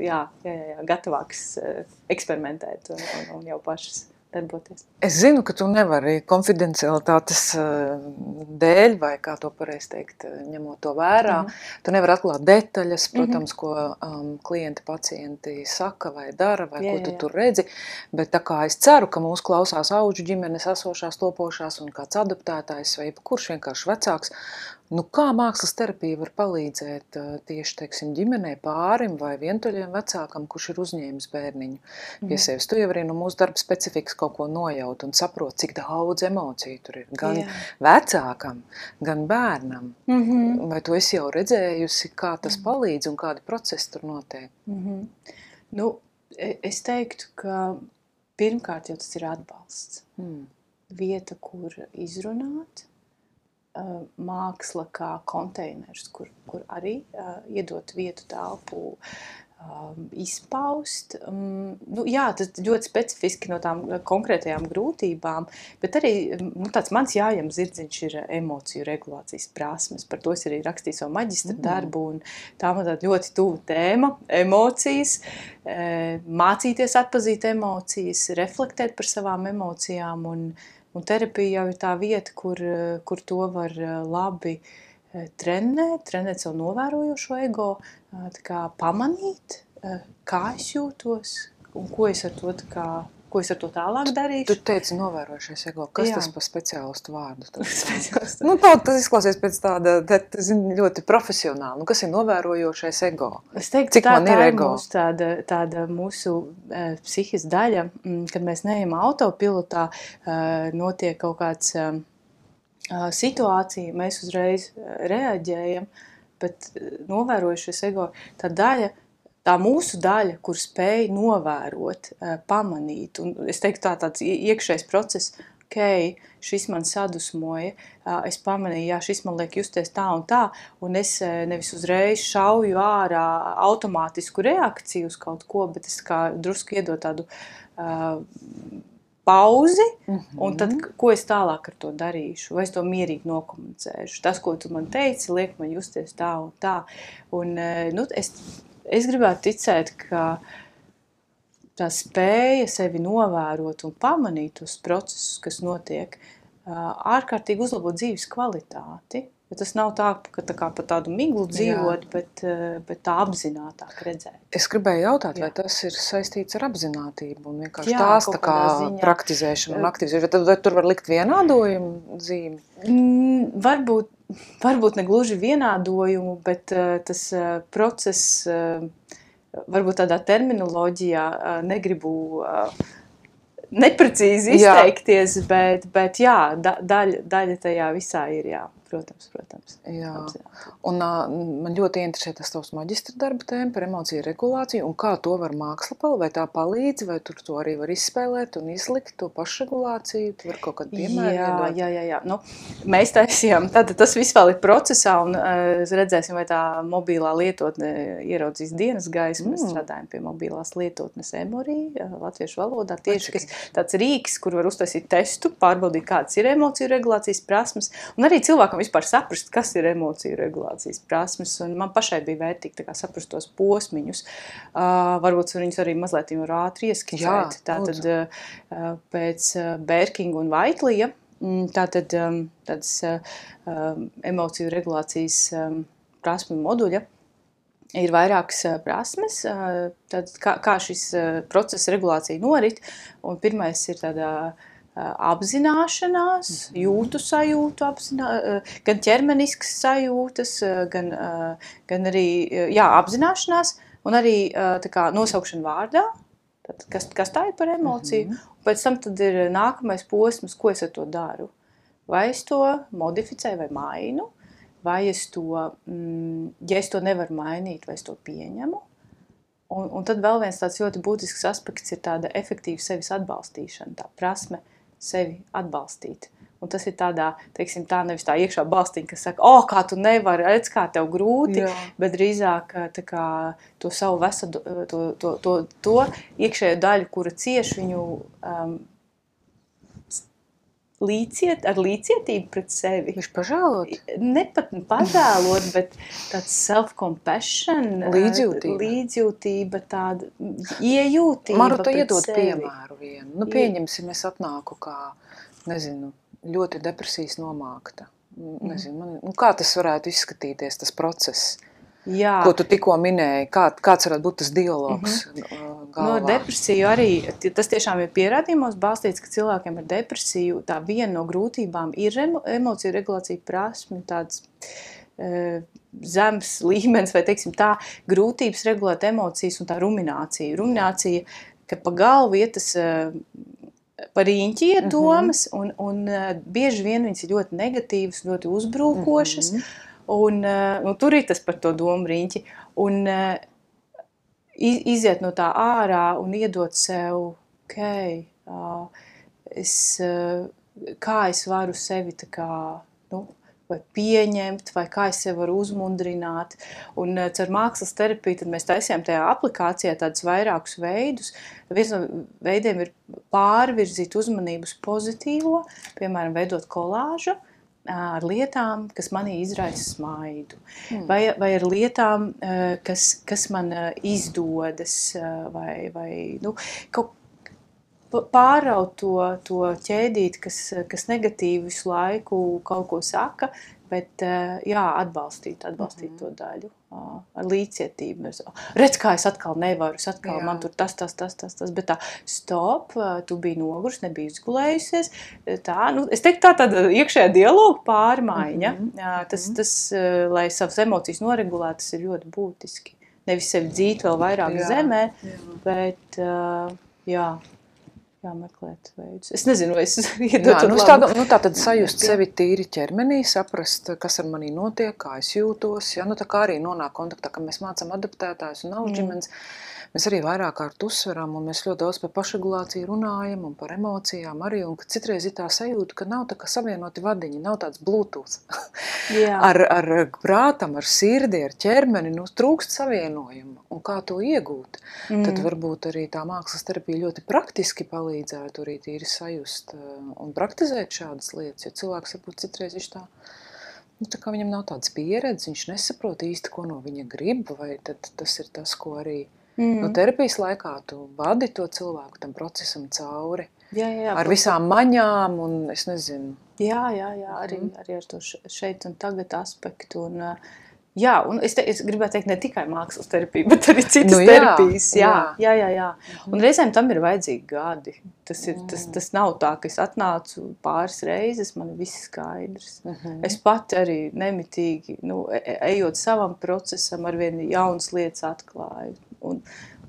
jā, jā, jā, gatavāk eksperimentēt un, un, un jau pašas darboties. Es zinu, ka tu nevari konfidencialitātes dēļ, vai kā to pareizi teikt, ņemot to vērā. Mm-hmm. Tu nevari atklāt detaļas, protams, mm-hmm. ko um, klienti, pacienti saka vai dara, vai jā, ko tu jā. Tur redzi. Bet tā kā es ceru, ka mūs klausās auģu ģimenes esošās, topošās un kāds adoptētājs vai kurš vienkārši vecāks, nu, kā mākslas terapija var palīdzēt tieši, teiksim, ģimenei, pārim vai vientuļiem vecākam, kurš ir uzņēmis bērniņu pie mm. sevis? Tu jau arī no mūsu darba specifikas kaut ko nojaut un saprot, cik daudz emociju tur ir. Gan Jā. Vecākam, gan bērnam. Mm-hmm. Vai tu esi jau redzējusi, kā tas mm. palīdz un kādi procesi tur notiek? Mm-hmm. Nu, es teiktu, ka pirmkārt jau tas ir atbalsts. Mm. Vieta, kur izrunāt. Māksla kā konteiners, kur, kur arī uh, iedot vietu telpu um, izpaust. Um, nu, jā, tas ļoti specifiski no tām konkrētajām grūtībām, bet arī nu, tāds mans jājam zirdziņš ir emociju regulācijas prasmes. Par to es arī rakstīju savu maģistra mm. darbu, un tā man tāda ļoti tuva tēma - emocijas, e, mācīties atpazīt emocijas, reflektēt par savām emocijām, un Un terapija jau ir tā vieta, kur, kur to var labi trenēt, trenēt savu novērojošo ego, tā kā pamanīt, kā es jūtos un ko es ar to, tā kā, ko es ar to tālāk darīšu. Tu teici novērojušies ego. Kas Jā. Tas par speciālistu vārdu? Speciālistu. Nu, tā, tas izklausies pēc tāda, tā, zini, ļoti profesionāli. Nu, kas ir novērojošais ego? Es teiktu, Cik tā, man ir tā ir ego? Mūsu tāda, tāda mūsu e, psihis daļa, m, kad mēs neejam autopilotā, e, notiek kaut kāds e, situācija, mēs uzreiz reaģējam, bet novērojušies ego, tā daļa, tā mūsu daļa, kur spēj novērot, pamanīt, un es teiktu tā tāds iekšējs process, ok, šis man sadusmoja, es pamanīju, jā, šis man liek justies tā un tā, un es nevis uzreiz šauju ārā automātisku reakciju uz kaut ko, bet es kā drusku iedot tādu uh, pauzi, mm-hmm. un tad, ko es tālāk ar to darīšu, vai es to mierīgi nokomunicēšu. Tas, ko tu man teici, liek man justies tā un tā, un, nu, es Es gribētu ticēt, ka tā spēja sevi novērot un pamanīt tos procesus, kas notiek, ārkārtīgi uzlabot dzīves kvalitāti. Bet tas nav tā, ka tā kā pa tādu miglu dzīvot, bet, bet tā apzinātāk redzēt. Es gribēju jautāt, Jā. Vai tas ir saistīts ar apzinātību un vienkārši Jā, tās tā kā ziņā. Praktizēšanu un aktivizēšanu. Vai, vai tur var likt vienādojumu zīmi? Mm, varbūt. Varbūt ne gluži vienādojumu, bet uh, tas uh, process, uh, varbūt tādā terminoloģijā uh, negribu uh, neprecīzi izteikties, jā. bet, bet jā, da, daļa, daļa tajā visā ir, jā, protams, protams. Jā. Apzināti. Un uh, man ļoti interesē tas tavs maģistra darba tēma par emociju regulāciju, un kā to var māksla palīdz, vai tā palīdz, vai tur to arī var izspēlēt un izlikt, to pašregulāciju, tu var kaut kādu piemēru Jā, iedot? jā, jā, jā. Nu, mēs taisījām, tātad tas viss vēl ir procesā, un uh, redzēsim, vai tā mobilā lietotne ieraudzīs dienas gaismu. Mm. Mēs strādājam pie mobilās lietotnes Emory, latviešu valodā, tieši kas tāds rīks, kur var uztaisīt testu, pārbaudīt, kādas ir emociju regulācijas prasmes, un arī cilvēkam vispār saprast, kas ir emociju regulācijas prasmes, un man pašai bija vērtīgi tā kā saprast tos posmiņus. Uh, varbūt viņus arī mazliet var ātri ieskicēt. Tātad uh, pēc uh, Bērkinga un Vaitlija, tātad um, tādas uh, emociju regulācijas um, prasmu moduļa ir vairākas uh, prasmes, uh, tad kā, kā šis uh, process regulācija norit, un pirmais ir tādā apzināšanās, jūtu sajūtu, apzinā, gan ķermeniskas sajūtas, gan, gan arī jā, apzināšanās, un arī tā kā nosaukšana vārdā, tad, kas, kas tā ir par emociju, mm-hmm. un pēc tam tad ir nākamais posms, ko es ar to daru. Vai es to modificēju vai mainu, vai es to, ja es to nevaru mainīt, vai es to pieņemu. Un, un tad vēl viens tāds ļoti būtisks aspekts ir tāda efektīva sevis atbalstīšana, tā prasme, sevi atbalstīt. Un tas ir tādā, teiksim, tā nevis tā iekšā balstiņa, kas saka, o, kā tu nevari, redz, kā tev grūti, jā. Bet drīzāk tā kā to savu vesadu, to, to, to, to iekšējo daļu, kura cieš viņu um, līdziet, ar līdzietību pret sevi. Viņš pažēlot? Ne pat pažēlot, bet tāds self-compassion, līdzjūtība, līdzjūtība tāda iejūtība Maru, tu pret iedod sevi. Piemēru vienu. Nu, pieņemsim, es atnāku kā, nezinu, ļoti depresijas nomākta. Nezinu, man, nu, kā tas varētu izskatīties, tas process? Jā. Ko tu tikko minēji, kā, kāds varētu būt tas dialogs mm-hmm. galvā? No depresiju arī, tas tiešām ir pierādījumos balstīts, ka cilvēkiem ar depresiju tā viena no grūtībām ir emociju regulācija prasme, tāds e, zems līmenis, vai teiksim tā, grūtības regulēt emocijas un tā ruminācija. Ruminācija, ka pa galvu iet tas e, par īņķi iet domas, mm-hmm. un, un e, bieži vien viņas ir ļoti negatīvas, ļoti uzbrūkošas, mm-hmm. Un, nu, tur ir tas par to domu riņķi. Un iziet no tā ārā un iedot sev, ok, es, kā es varu sevi tā kā, nu, vai pieņemt, vai kā es sevi varu uzmundrināt. Un caur mākslas terapiju tad mēs taisījām tajā aplikācijā tādus vairākus veidus. Viens no veidiem ir pārvirzīt uzmanību uz pozitīvo, piemēram, veidot kolāžu, ar lietām, kas manī izraisa smaidu, mm. vai, vai ar lietām, kas, kas man izdodas, vai, vai nu, kaut pāraut to, to ķēdīt, kas, kas negatīvi visu laiku kaut ko saka, bet jā, atbalstīt, atbalstīt mm-hmm. to daļu ar līdzcietību. Redz, kā es atkal nevaru, es atkal jā. Man tur tas, tas, tas, tas, tas, bet tā, stop, tu biji nogurs, nebija izgulējusies. Tā, nu, es teiktu, tā tāda iekšējā dialoga pārmaiņa. Mm-hmm. Jā, tas, tas, lai savas emocijas noregulētu, tas ir ļoti būtiski. Nevis sevi dzīt vēl vairāk jā. Zemē, jā. Bet jā. jāmeklēt veidus. Es nezinu, vai es iedotu nu, tādu, nu, tā tad sajust sevi tīri ķermenī, saprast, kas ar manī notiek, kā es jūtos. Ja, nu, tā kā arī nonāk kontaktā, ka mēs mācām adaptētājus un auģimens. Mm. Mēs arī vairāk kārt uzsveram, un mēs ļoti daudz par pašregulāciju runājam un par emocijām arī, un ka citreiz ir tā sajūta, ka nav tā kā savienoti vadiņi, nav tāds bluetooth. ar, ar prātam, ar sirdi, ar ķermeni, nu, trūkst savienojumu. Un kā to iegūt? Mm. Tad varbūt arī tā mākslas terapija ļoti praktiski palīdzētu arī tīri sajust un praktizēt šādas lietas, jo cilvēks varbūt citreiz viņš tā, nu, tā kā viņam nav tādas pieredzes, viņš nesaprot īsti, ko no viņa grib, vai tad tas ir tas, ko arī Mm. no terapijas laikā tu vadi to cilvēku tam procesam cauri. Jā, jā, jā, ar visām maņām un es nezinu. Jā, jā, jā, arī, mm. arī ar to šeit un tagad aspektu. Un, jā, un es, te, es gribētu teikt ne tikai mākslas terapija, bet arī citas nu, jā, terapijas. Jā, jā, jā, jā. Un reizēm tam ir vajadzīgi gadi. Tas, ir, tas, tas nav tā, ka es atnācu pāris reizes, man ir viss skaidrs. Mm-hmm. Es pati arī nemitīgi, nu, ejot savam procesam, arvien jaunas lietas atklāju. Un,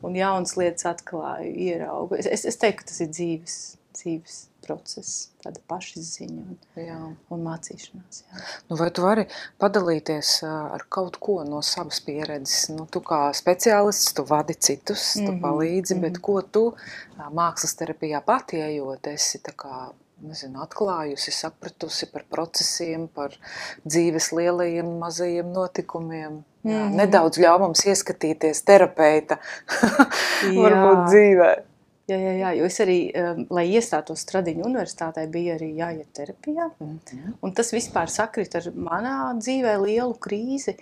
un jaunas lietas atklāju, ieraugu. Es, es teiktu, ka tas ir dzīves, dzīves process, tāda pašizziņa un, Jā. un mācīšanās. Jā. Nu, vai tu vari padalīties ar kaut ko no savas pieredzes? Nu, tu kā speciālists, tu vadi citus, tu Mhm, palīdzi, bet mhm. ko tu mākslas terapijā pati ejot, esi tā kā, nezinu, atklājusi, sapratusi par procesiem, par dzīves lielajiem, mazajiem notikumiem? Jā, Mhm. nedaudz ļauj mums ieskatīties terapeita varbūt Jā. dzīvē. Jā, jā, jā, jo es arī, um, lai iestātos Stradiņu universitātē, bija arī jāiet terapijā. Mhm. Un tas vispār sakrit ar manā dzīvē lielu krīzi.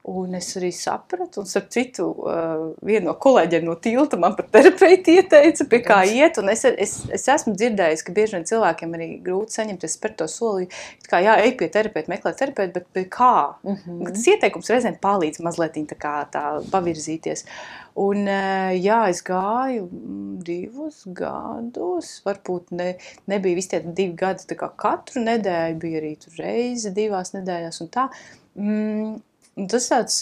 Un es arī sapratu, un starp citu, uh, viena no kolēģiem no tilta man par terapeitu ieteica, pie kā iet, un es, es, es esmu dzirdējis, ka bieži vien cilvēkiem arī grūti saņemties par to soli, kā jā, ej pie terapeitu, meklē terapeitu, bet pie kā? Mhm. Tas ieteikums reizēm palīdz mazliet tā kā tā pavirzīties. Un uh, jā, es gāju divus gadus, varbūt ne, nebija visi tie divi gadi tā kā katru nedēļu, bija arī tur reizi divās nedēļās un tā. Mm, Un tas tāds,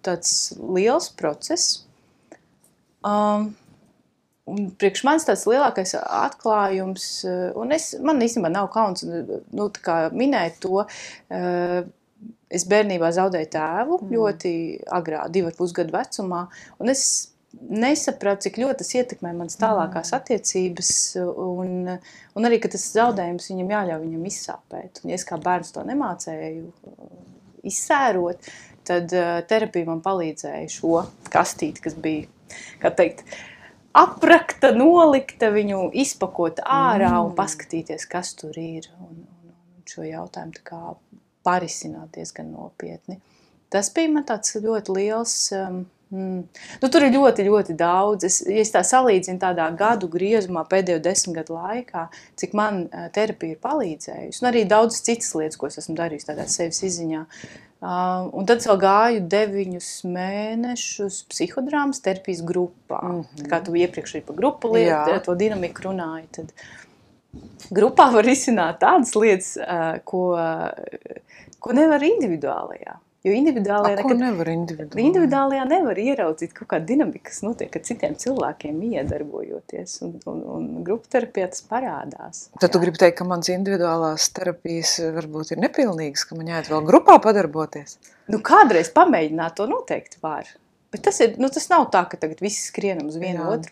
tāds liels process. Um, un priekš manis tāds lielākais atklājums, un es, man īstenībā nav kauns, nu, tā kā minēt to, uh, es bērnībā zaudēju tēvu mm. ļoti agrā, divu ar pusgadu vecumā, un es nesapratu, cik ļoti tas ietekmē manas tālākās attiecības, un, un arī, ka tas zaudējums viņam jāļauj viņam izsāpēt. Un ja es kā bērns to nemācēju izsērot, tad uh, terapija man palīdzēja šo kastīti, kas bija, kā teikt, aprakta, nolikta, viņu izpakot ārā mm. un paskatīties, kas tur ir, un, un, un šo jautājumu tā kā parisināt diezgan nopietni. Tas bija man tāds ļoti liels, um, mm, nu tur ir ļoti, ļoti daudz. Es, ja es tā salīdzinu tādā gadu griezumā pēdējo desmit gadu laikā, cik man uh, terapija ir palīdzējusi, un arī daudz citas lietas, ko es esmu darījusi tādā sevis izziņā. Uh, un tad vēl gāju deviņus mēnešus psihodrāmas terapijas grupā. Mm-hmm. Tā kā tu iepriekš arī par grupu lietu, to dinamiku runāji, tad grupā var risināt tādas lietas, uh, ko, ko nevar individuālajā. Jo individuālajā, A, ko nevar individuālajā? Individuālajā nevar ieraudzīt kaut kādu dinamiku, kas notiek ar citiem cilvēkiem iedarbojoties, un, un, un grupu terapijā tas parādās. Tad jā. Tu gribi teikt, ka mans individuālās terapijas varbūt ir nepilnīgas, ka man jāiet vēl grupā padarboties? Nu, kādreiz pamēģināt to noteikti var. Bet tas, ir, nu, tas nav tā, ka tagad visi skrienam uz vienu jā. Otru.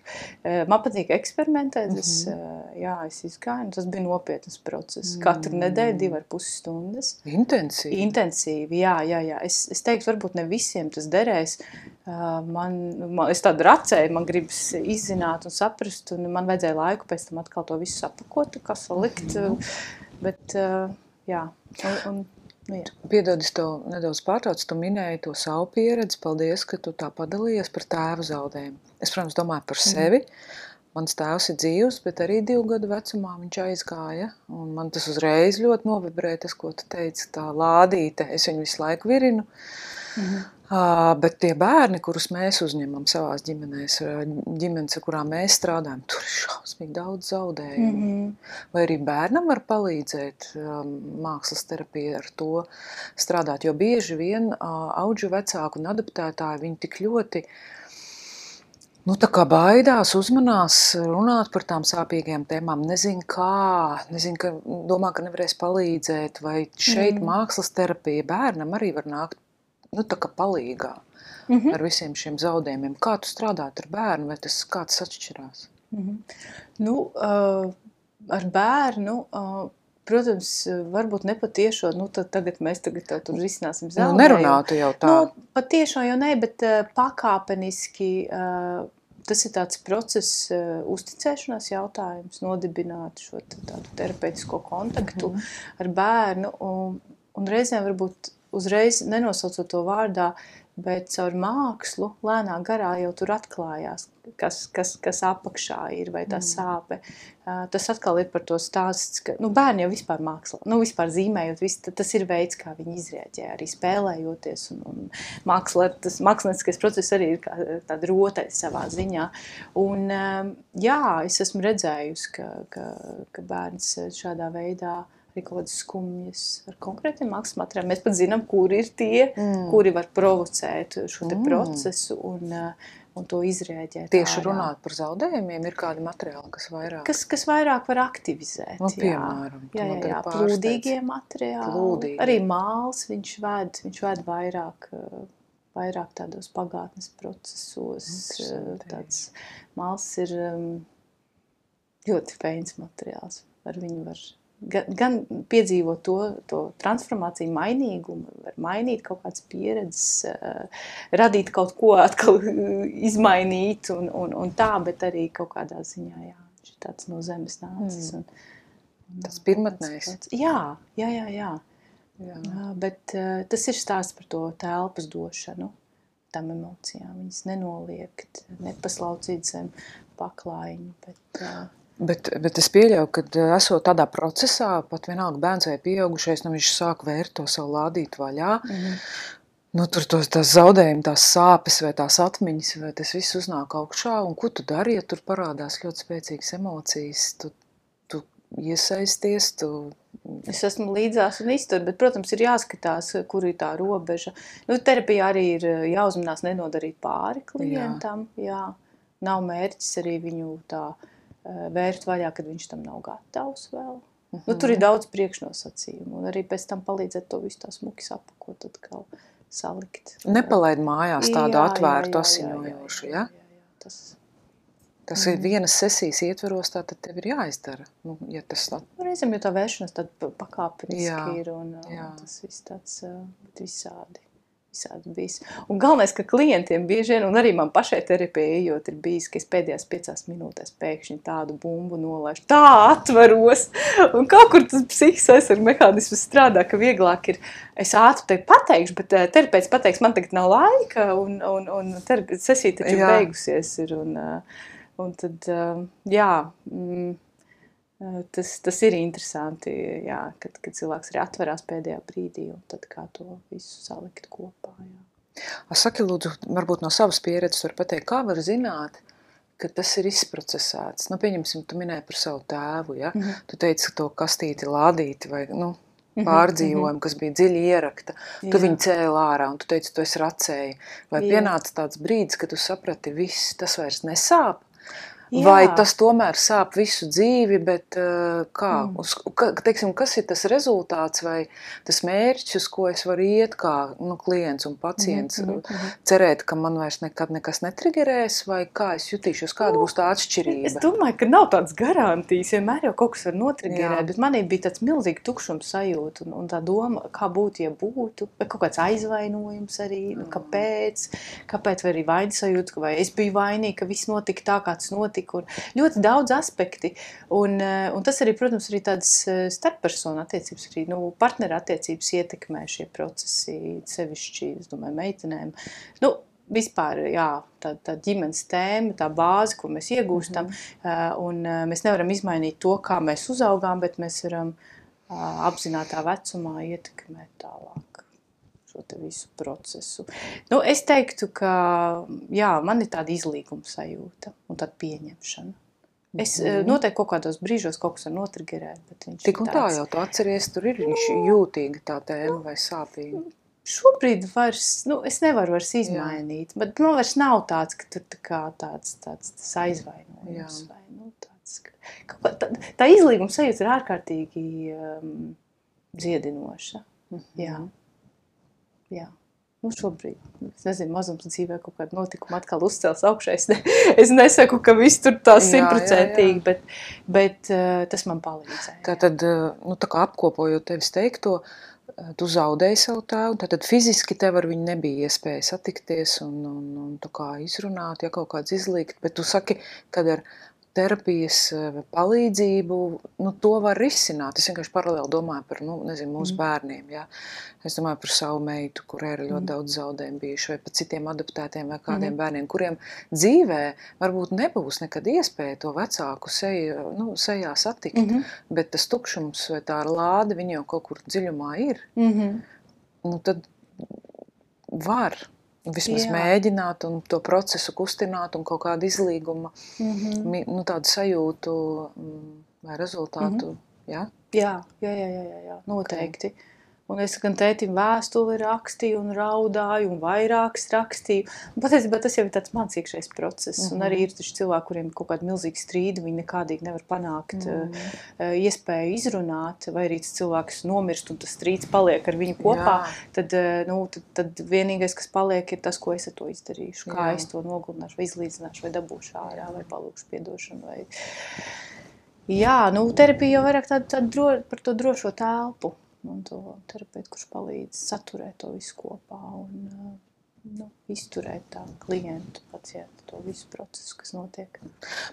Man patīk eksperimentēt, es, mm-hmm. jā, es izgāju, tas bija nopietnas process. Mm. Katru nedēļu divi ar pusi stundas. Intensīvi? Intensīvi, jā, jā, jā. Es, es teiktu, varbūt ne visiem tas derēs. Man, man, es tādu racēju, man gribas izzināt un saprast, un man vajadzēja laiku pēc tam atkal to visu sapakot, kā salikt. Mm-hmm. Bet, jā, un... un Nu, Piedod, es tev nedaudz pārtraucu, tu minēji to savu pieredzi, paldies, ka tu tā padalījies par tēva zaudējumu. Es, protams, domāju par sevi, mans tēvs ir dzīvs, bet arī divu gadu vecumā viņš aizgāja, un man tas uzreiz ļoti novibrēja, tas, ko tu teici, tā lādīte, es viņu visu laiku virinu, mm-hmm. uh, bet tie bērni, kurus mēs uzņemam savās ģimenēs, ģimenes, ar kurām mēs strādājam, tur ir šausmīgi daudz zaudējumu. Mm-hmm. Vai arī bērnam var palīdzēt um, mākslas terapija ar to strādāt, jo bieži vien uh, audžu vecāku un adaptētāji, viņi tik ļoti nu, tā kā baidās, uzmanās runāt par tām sāpīgajām tēmām, nezin kā, nezin, ka, domā, ka nevarēs palīdzēt, vai šeit mm. mākslas terapija bērnam arī var nākt, nu, tā kā palīgā mm-hmm. ar visiem šiem zaudējumiem. Kā tu strādāt ar bērnu, vai tas kā tas atšķirās? Mm-hmm. Nu, uh, ar bērnu, uh, protams, varbūt nepatiešo, nu, tad tagad mēs tagad tur risināsim zaudējumu. Nu, nerunātu jau tā. Nu, patiešo jau ne, bet uh, pakāpeniski uh, tas ir tāds process, uh, uzticēšanās jautājums, nodibināt šo tādu terapeitisko kontaktu mm-hmm. ar bērnu, un, un reizēm varbūt uzreiz nenosaucot to vārdā, bet caur mākslu lēnā garā jau tur atklājās, kas, kas, kas apakšā ir, vai tā mm. sāpe. Uh, tas atkal ir par to stāsts, ka nu, bērni jau vispār mākslā, nu vispār zīmējot, vis, tas ir veids, kā viņi izrēģē, arī spēlējoties, un, un mākslā, tas mākslinieciskais process arī ir kā tāda rotaļa savā ziņā. Un um, jā, es esmu redzējusi, ka, ka, ka bērns šādā veidā arī kaut kādas skumjas ar konkrētiem mākslas materiāliem. Mēs pat zinām, kuri ir tie, mm. kuri var provocēt šo te mm. procesu. Un, un to izrēģēt Tieši ārā. runāt par zaudējumiem, ir kādi materiāli, kas vairāk? Kas, kas vairāk var aktivizēt, Nu, jā. piemēram, tu Jā, man jā, jā, tagad pārsteidz. plūdīgie materiāli, Plūdīgie. arī māls viņš ved, viņš ved vairāk, eh, vairāk tādos pagātnes procesos. eh, Interesanti. Tāds māls ir um, ļoti feins materiāls, ar viņu var gan, gan piedzīvot to, to transformāciju, mainīgumu, var mainīt kaut kādas pieredzes, uh, radīt kaut ko atkal izmainīt un, un, un tā, bet arī kaut kādā ziņā, jā, viņš ir tāds no zemes nācis. Mm. Un, un, Tas pirmatnējs. tāds- Jā, jā, jā, jā. Jā. Jā, bet uh, tas ir stāsts par to telpas došanu, tām emocijām. Viņas nenoliek, nepaslaucīt zem paklājiņu, bet... Uh, Bet, bet es pieļauju, ka esot tādā procesā, pat vienalga bērns vai pieaugušais, nu viņš sāk vērt to savu lādītu vaļā, mm-hmm. nu tur tos, tās zaudējumi, tās sāpes vai tās atmiņas, vai tas viss uznāk augšā, un ko tu dari, ja tur parādās ļoti spēcīgas emocijas, tu, tu iesaisties, tu... Es esmu līdzās un iztur, bet, protams, ir jāskatās, kur ir tā robeža. Nu, terapijā arī ir jāuzmanās nenodarīt pāri klientam, jā. jā. Nav mērķis arī viņu tā vērt vaļā, kad viņš tam nav gatavs vēl. Mm-hmm. Nu, tur ir daudz priekšnosacījumu, un arī pēc tam palīdzēt to visu tā smuki sapakot, atkal salikt. Nepalaid mājās tādu jā, atvērtu, jā, jā, asiņojošu, ja? Jā, jā, jā, tas... Tas ir vienas sesijas ietveros, tā tad tev ir jāizdara. Nu, ja tas tā... Reizēm jau tā vēršanas tad pakāpeniski Jā, ir, un jā. tas viss tāds visādi. Visādi bijis. Un galvenais, ka klientiem bieži vien, un arī man pašai terapijai ejot, ir bijis, ka es pēdējās piecās minūtēs pēkšņi tādu bumbu nolaišu, tā atveros, un kaut kur tas psihiskais aizsargu mehānisms strādā, ka vieglāk ir, es ātri te pateikšu, bet terapeits pateiks, man tagad nav laika, un, un, un terapeits sesija taču Jā. beigusies ir, un, un tad, jā, mm, Tas, tas ir interesanti, jā, kad, kad cilvēks arī atverās pēdējā brīdī un tad kā to visu salikt kopā. Jā. Saki, lūdzu, varbūt no savas pieredzes var pateikt, kā var zināt, ka tas ir izprocesēts? Nu, pieņemsim, tu minēji par savu tēvu, ja? Mm-hmm. Tu teici, ka to kastīti lādīti vai nu, pārdzīvojumu, mm-hmm. kas bija dziļi ierakta. Tu jā. Viņu cēli ārā un tu teici, tu esi racēji. Vai jā. Pienāca tāds brīdis, kad tu saprati, viss, tas vairs nesāp? Jā. Vai tas tomēr sāp visu dzīvi, bet uh, kā? Mm. Uz, ka, teiksim, kas ir tas rezultāts vai tas mērķis, uz ko es varu iet kā nu, klients un pacients? Mm, mm, mm. Cerēt, ka man vairs nekad nekas netrigerēs, vai kā es jutīšos, kāda būs tā atšķirība? Es domāju, ka nav tādas garantijas, vienmēr jau kaut kas var notrigerēt, bet manī bija tāds milzīgi tukšums sajūta un, un tā doma, kā būtu, ja būtu, vai kaut kāds aizvainojums arī, mm. nu, kāpēc, kāpēc vai arī vainas sajūta, vai es biju vainīga, ka viss notika tā, kā tas notika. Un ļoti daudz aspekti, un, un tas arī, protams, arī tādas starppersonu attiecības, arī nu, partneru attiecības ietekmē šie procesi, sevišķi, es domāju, meitenēm. Nu, vispār, jā, tā, tā ģimenes tēma, tā bāze, ko mēs iegūstam, mm-hmm. un mēs nevaram izmainīt to, kā mēs uzaugām, bet mēs varam apzinātā vecumā ietekmēt tālāk šo te visu procesu. Nu, es teiktu, ka jā, man ir tāda izlīguma sajūta un tāda pieņemšana. Es mm. noteikti kaut kādos brīžos kaut kas var notrigerēt, bet viņš Tik un ir tā tāds... jau tu atceries, tur ir viņš jūtīga tā tēma vai sāpīga. Šobrīd vairs, nu, es nevaru vairs izmainīt, jā. Bet man vairs nav tāds, ka tur tā kā tāds, tāds, tāds aizvainojums. Vai, nu, tāds, ka, tā, tā izlīguma sajūta ir ārkārtīgi um, dziedinoša. Mm-hmm. Jā. Jā, nu šobrīd, es nezinu, mazums dzīvē kaut kādu notikumu atkal uzcels augšā. Es, ne, es nesaku, ka viss tur tā simtprocentīgi, bet, bet uh, tas man palīdzēja. Tātad, nu tā kā apkopojot tevis teikto, tu zaudēji savu tēvu, tātad fiziski tev ar viņu nebija iespēja satikties un, un, un tā kā izrunāt, ja kaut kāds izlīgt, bet tu saki, kad ar terapijas palīdzību, nu, to var risināt. Es vienkārši paralēli domāju par, nu, nezinu, mūsu mm. bērniem, jā. Es domāju par savu meitu, kurai ir ļoti mm. daudz zaudējumu bijuši, vai par citiem adoptētiem vai kādiem mm. bērniem, kuriem dzīvē varbūt nebūs nekad iespēja to vecāku seju, nu, sejā satikt, mm-hmm. bet tas tukšums vai tā lāde, viņa jau kaut kur dziļumā ir. Mm-hmm. Nu, tad var vismaz jā. Mēģināt un to procesu kustināt un kaut kādu izlīguma, mm-hmm. nu, tādu sajūtu vai rezultātu, mm-hmm. jā? Jā, jā, jā, jā, jā, noteikti. Okay. Un es gan tētim vēstuli rakstīju un raudāju un vairākas rakstīju. Un patiesībā tas jau ir tāds mans iekšējs process. Mm-hmm. Un arī ir taču cilvēki, kuriem ir kaut kādi milzīgi strīdi, viņi nekādīgi nevar panākt mm-hmm. uh, iespēju izrunāt, vai arī tas cilvēks nomirst un tas strīds paliek ar viņu kopā. Tad, uh, nu, tad, tad vienīgais, kas paliek, ir tas, ko es ar to izdarīšu. Kā Jā. Es to nogludināšu, vai izlīdzināšu, vai dabūšu ārā, vai palūkšu piedošanu. Vai... Jā, nu terapija jau vairāk tāda, tāda dro, par to drošo telpu. Un to terapeitu, kurš palīdz saturēt to visu kopā un nu, izturēt tā klientu, pacientu, to visu procesu, kas notiek.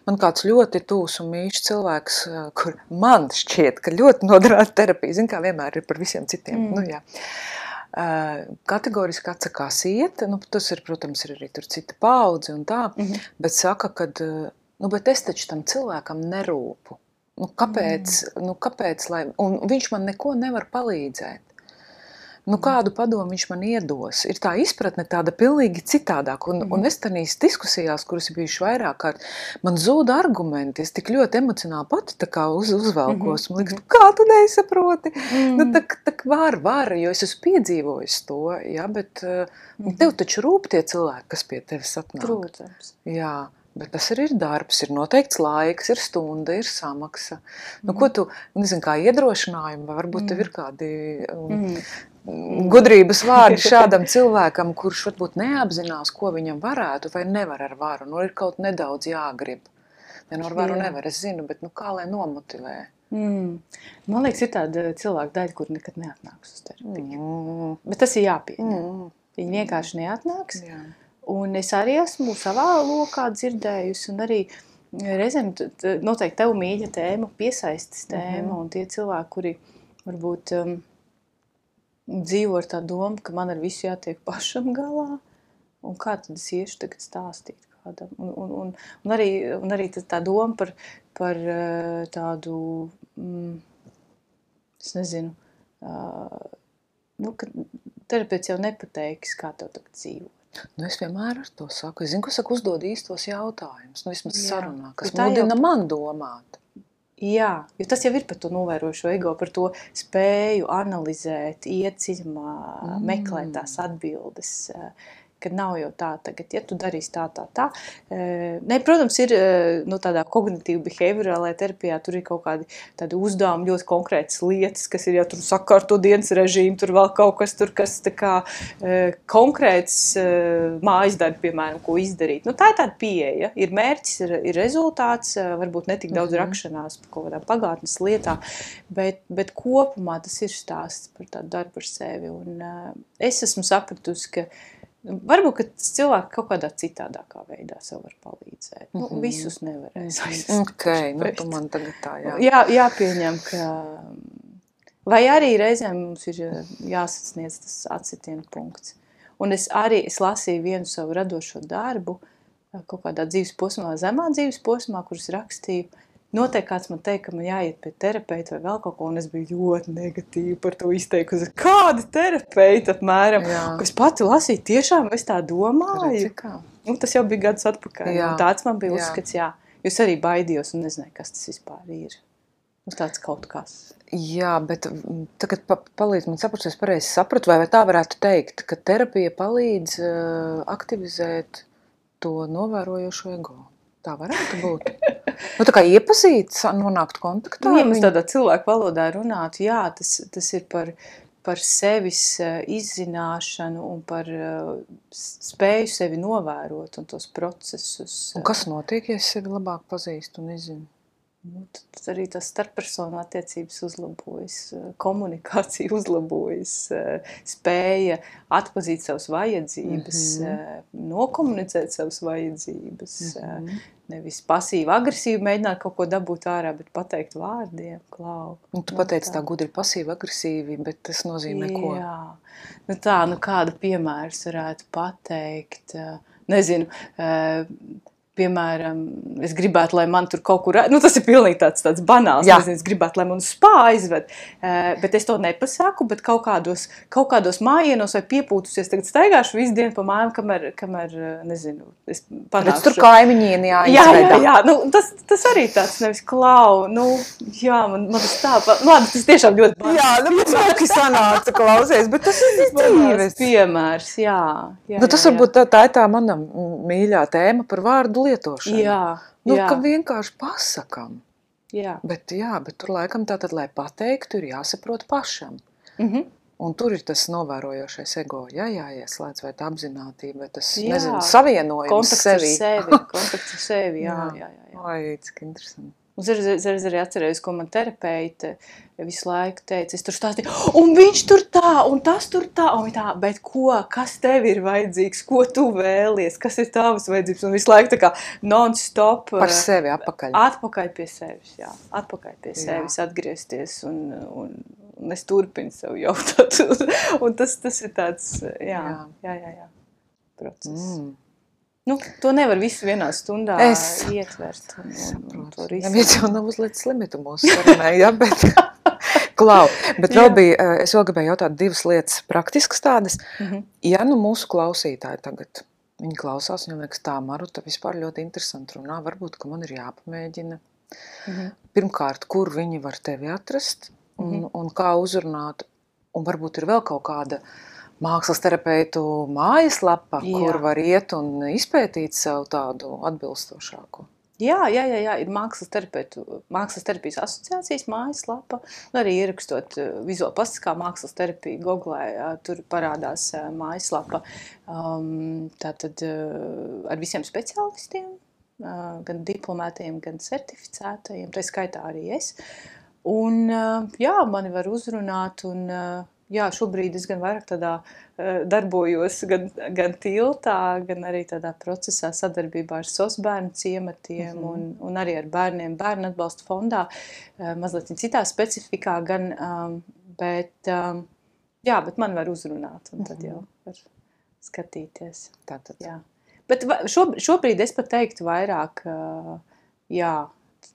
Man kāds ļoti tūs un mīļš cilvēks, kur man šķiet, ka ļoti noderētu terapija, zin kā vienmēr ir par visiem citiem. Mm. Nu, jā. Kategoriski atsakās iet, nu, tas ir, protams, ir arī tur cita paudze un tā, mm-hmm. bet saka, kad, nu, bet es taču tam cilvēkam nerūpu. Nu, kāpēc, mm. nu, kāpēc, lai, un viņš man neko nevar palīdzēt. Nu, kādu padomu viņš man iedos? Ir tā izpratne tāda pilnīgi citādāk, un, mm. un es tanīs diskusijās, kuras ir bijuši vairāk kārt, man zūda argumenti, es tik ļoti emocionāli pati tā kā uz, uzvelkos, man liekas, kā tu nesaproti? Mm. Nu, tak, tak var, var, jo es esmu piedzīvojis to, ja, bet mm. tev taču rūp tie cilvēki, kas pie tevis atnāk. Protams. Jā. Bet tas arī ir darbs, ir noteikts laiks, ir stunda, ir samaksa. Mm. Nu, ko tu, nezinu, kā iedrošinājumi, vai varbūt mm. tev ir kādi um, mm. gudrības vārdi šādam cilvēkam, kurš varbūt neapzinās, ko viņam varētu vai nevar ar varu. Nu, ir kaut nedaudz jāgrib. Ja nu ar varu Jā. Nevar, es zinu, bet nu, kā lai nomotivē? Mm. Man liekas, ir tāda cilvēka daļa, kur nekad neatnāks uz terapiju. Mm. Bet tas ir jāpieņem. Mm. Viņi vienkārši neatnāks. Jā. Un es arī esmu savā lokā dzirdējusi, un arī reizēm noteikti tev mīļa tēma, piesaistes tēma, mm-hmm. un tie cilvēki, kuri varbūt um, dzīvo ar tā domu, ka man ar visu jātiek pašam galā, un kā tad es iešu tagad stāstīt kādam. Un, un, un, un, arī, un arī tā doma par, par uh, tādu, mm, es nezinu, uh, nu, ka terapeits jau nepateiks, kā tev tagad dzīvot. Nu, es vienmēr ar to saku. Es zinu, ka saku uzdod īstos jautājumus, nu vismaz Jā. Sarunā, kas mudina jau... man domāt. Jā, jo tas jau ir par to novērošo ego, par to spēju analizēt, iet dziļumā, mm. meklēt tās atbildes, kad nav jau tā tagad, ja tu darīsi tā, tā, tā. Ne, protams, ir nu, tādā kognitīva behaviorālajā terapijā, tur ir kaut kādi tādi uzdevumi, ļoti konkrētas lietas, kas ir jau tur sakārto dienas režīmu, tur vēl kaut kas tur, kas tā kā konkrēts mājas darbi, piemēram, ko izdarīt. Nu, tā ir tāda pieeja, ir mērķis, ir, ir rezultāts, varbūt netik daudz mm-hmm. rakšanās par kaut kādām pagātnes lietām, bet, bet kopumā tas ir stāsts par tādu darbu ar sevi. Un es esmu sapratusi, ka varbūt, ka cilvēki kaut kādā citādākā veidā sev var palīdzēt. Nu, mm-hmm. visus nevarēs aizstāvēt. Ok, nu tu man tagad tā, jā. Jā, jāpieņem, ka... Vai arī reizēm mums ir jāsasniedz tas atsitiena punkts. Un es arī, es lasīju vienu savu radošo darbu, kaut kādā dzīves posmā, zemā dzīves posmā, kuras rakstīju. Noteikti kāds man teica, ka man jāiet pie terapeita vai vēl kaut ko, un es biju ļoti negatīvi par to izteikusi. Kāda terapeita apmēram? Jā. Ko es pati lasīju, tiešām es tā domāju. Nu, tas jau bija gadus atpakaļ. Un tāds man bija jā. Uzskats, jā. Jo es arī baidījos un nezināju, kas tas vispār ir. Nu, tāds kaut kas. Jā, bet tagad pa, palīdz man saprast, es pareizi sapratu, vai, vai tā varētu teikt, ka terapija palīdz uh, aktivizēt to novērojošo ego. Tā varētu būt. Nu, tā kā iepazīt, nonākt kontaktā. Nu, ja mēs tādā cilvēku valodā runātu, jā, tas, tas ir par, par sevis izzināšanu un par spēju sevi novērot un tos procesus. Un kas notiek, ja es sevi labāk pazīstu un izzinu? Nu, tad arī tas starppersonu attiecības uzlabojas, komunikācija uzlabojas, spēja atpazīt savas vajadzības, mm-hmm. nokomunicēt savas vajadzības, mm-hmm. nevis pasīvi agresīvi mēģināt kaut ko dabūt ārā, bet pateikt vārdiem, klau. Un tu pateici tā gudri pasīvi agresīvi, bet tas nozīmē ko? Jā, nu tā, nu kādu piemērs varētu pateikt, nezinu, piemēram, es gribētu, lai man tur kaut kur, nu tas ir pilnīgi tāds, tāds banāls, nezinu, es gribētu, lai man uz spā aizved, uh, bet es to nepasaku, bet kaut kādos, kaut kādos mājienos vai piepūtusies, tagad staigāšu visu dienu pa mājām, kamēr, kamēr nezinu, es panākšu. Redz, tur kaimiņieni jāizvedā. Jā, jā, jā, nu tas, tas arī tāds nevis klau, nu, jā, man, man tas tā, nu, labi, tas tiešām ļoti banāls. Jā, nu, bet smuki sanāca, klausies, bet tas ir dzīves. Piemērs, jā. jā nu, tas jā, varbūt tā, tā ir tā mana mīļā tēma par vārdu lietošanu. Jā, nu, jā. Ka vienkārši pasakam. Jā. Bet, jā, bet tur laikam tātad, lai pateiktu, ir jāsaprot pašam. Mhm. Un tur ir tas novērojošais ego, jā, jāieslēdz, vai tā apzinātība, vai tas, jā. nezinu, savienojums kontakts sevi. Sevi. Kontakts ar sevi, jā, jā, jā. jā. Ai, cik interesanti. Un es arī atcerējos, ko man terapeite visu laiku teica, es tur stāstīju, un viņš tur tā, un tas tur tā, un tā, bet ko, kas tev ir vajadzīgs, ko tu vēlies, kas ir tavas vajadzības, un visu laiku tā kā non-stop. Par sevi atpakaļ. Atpakaļ pie sevis, jā, atpakaļ pie jā. sevis, atgriezties, un, un, un es turpinu sev jautāt, un tas, tas ir tāds, jā, jā, jā, jā, jā process. Mm. Nu, to nevar visu vienā stundā es ietvert. Un, un, un to Neviens jau nav uzlicis limitu mūsu sarunai, ja, bet, klau, bet vēl bija, es vēl gribēju jautāt divas lietas praktiskas tādas. Mm-hmm. Ja nu mūsu klausītāji tagad, viņi klausās, viņam liekas tā, Maruta vispār ļoti interesanti runā, varbūt, ka man ir jāpamēģina. Mm-hmm. Pirmkārt, kur viņi var tevi atrast un, mm-hmm. un kā uzrunāt, un varbūt ir vēl kaut kāda mākslas terapeitu mājaslapa, jā. Kur var iet un izpētīt sev tādu atbilstošāko. Jā, jā, jā, jā. Ir mākslas terapeitu, mākslas terapijas asociācijas mājaslapa, un arī ierakstot vizuāli plastiskā mākslas terapija Googlē, tur parādās mājaslapa um, tātad ar visiem speciālistiem, gan diplomētajiem, gan certificētajiem, tā skaitā arī es. Un jā, mani var uzrunāt un jā, šobrīd es gan vairāk tādā uh, darbojos gan, gan tiltā, gan arī tādā procesā sadarbībā ar S O S bērnu ciematiem mm-hmm. un, un arī ar bērniem bērnu atbalsta fondā, uh, mazliet citā specifikā, gan, um, bet, um, jā, bet man var uzrunāt un tad jau var skatīties. Tātad. Jā. Bet šo, šobrīd es pat teiktu vairāk, uh, jā,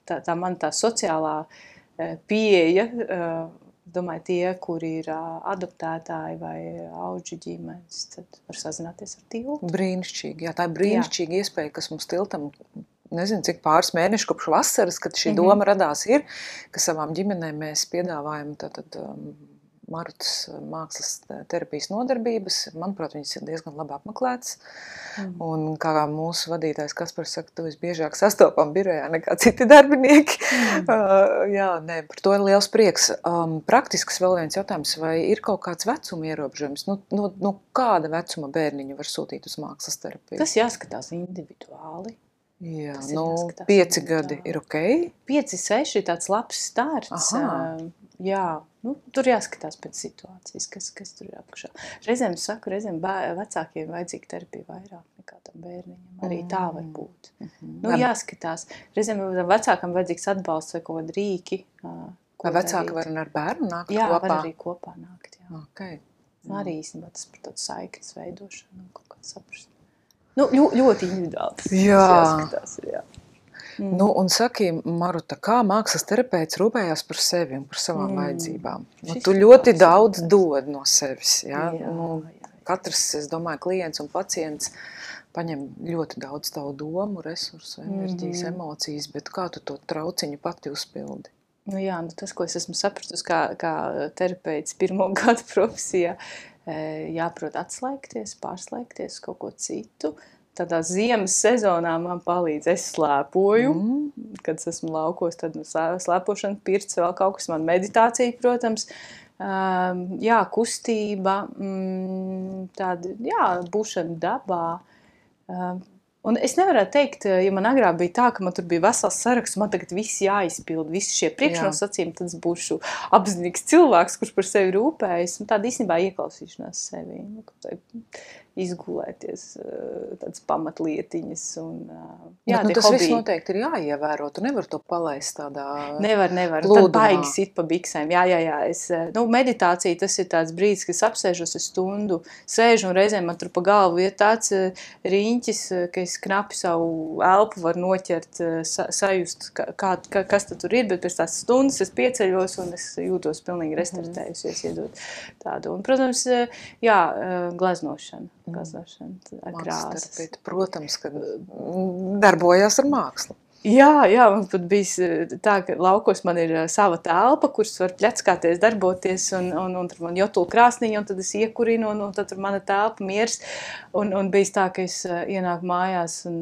tā, tā man tā sociālā uh, pieeja, uh, domāju, tie, kuri ir adoptētāji vai auģu ģimenes, tad var sazināties ar tiltu. Brīnišķīgi, jā, tā ir brīnišķīga jā. Iespēja, kas mums tiltam, nezinu, cik pāris mēneši kopš vasaras, kad šī mm-hmm. doma radās ir, ka savām ģimenēm mēs piedāvājam tātad um, Marutas mākslas terapijas nodarbības. Manuprāt, viņas ir diezgan labi apmeklētas. Mm. Un kā mūsu vadītājs Kaspars saka, tu visbiežāk sastopam birojā nekā citi darbinieki. Mm. Uh, jā, nē, par to ir liels prieks. Um, praktisks vēl viens jautājums, vai ir kaut kāds vecuma ierobežojums? Nu, nu, nu kāda vecuma bērniņu var sūtīt uz mākslas terapiju? Tas jāskatās individuāli. Jā, nu, pieci gadi ir ok? Pieci, seši ir tāds labs starts. Uh, jā, nu, tur jāskatās pēc situācijas, kas, kas tur ir apakšā. Reizēm saku, reizēm bēr, vecākiem vajadzīga terapija vairāk nekā tam bērniņam. Arī tā var būt. Mm-hmm. Nu, jāskatās. Reizēm vecākam vajadzīgs atbalsts vai kaut kādi rīki. Vai vecāki var ar bērnu nākt jā, kopā? Jā, var arī kopā nākt. Jā. Okay. Arī īstenībā tas par tādu saiknes veidošanu un kaut kā saprast. Nu, ļo, ļoti individuāli tas jā. Jāskatās. Jā. Mm. Nu, un saki, Maruta, kā mākslas terapeits rūpējās par sevi un par savām mm. vajadzībām? Nu, tu ļoti daudz dod no sevis. Ja? Jā, nu, jā. Katrs, es domāju, klients un pacients paņem ļoti daudz tavu domu, resursu, enerģijas, mm. emocijas, bet kā tu to trauciņu pati uzpildi? Nu jā, nu tas, ko es esmu sapratusi kā, kā terapeits pirmo gadu profesijā, jāprot atslēgties, pārslēgties kaut ko citu. Tādā ziemas sezonā man palīdz, es slēpoju, mm. kad es esmu laukos, tad slēpošana, pirts, vēl kaut kas, man meditācija, protams, um, jā, kustība, mm, tāda, jā, būšana dabā. Um, un es nevarētu teikt, ja man agrāk bija tā, ka man tur bija vesels saraksts, man tagad viss jāizpild, visi šie priekšnosacījumi, tad es būšu apzinīgs cilvēks, kurš par sevi rūpējas, un tāda īstenībā ieklausīšanās sevi, nu, izgulēties, tādas pamatlietiņas. Un, jā, bet, nu, tas hobiji. Viss noteikti ir jāievēro, tu nevar to palaist tādā Nevar, nevar, plūdumā. Tad baigi sit pa biksēm, jā, jā, jā. Es, nu, meditācija, tas ir tāds brīdis, kad es apsēžos uz stundu, sēžu un reizēm man tur pa galvu ir tāds riņķis, ka es knapi savu elpu var noķert, sa, sajust, kā, kā, kas tad tur ir, bet pēc tās stundas es pieceļos un es jūtos pilnīgi restartējusies, iedot tādu. Un, protams, jā, gleznošana, gleznošana ar krāsas. Protams, ka darbojās ar mākslu. Jā, jā, man pat bija tā, ka laukos man ir sava telpa, kuras var pļackāties, darboties, un, un, un tur man jotula krāsniņa, un tad es iekurinu, un, un tad tur mana telpa miers, un, un bijis tā, ka es ienāku mājās, un,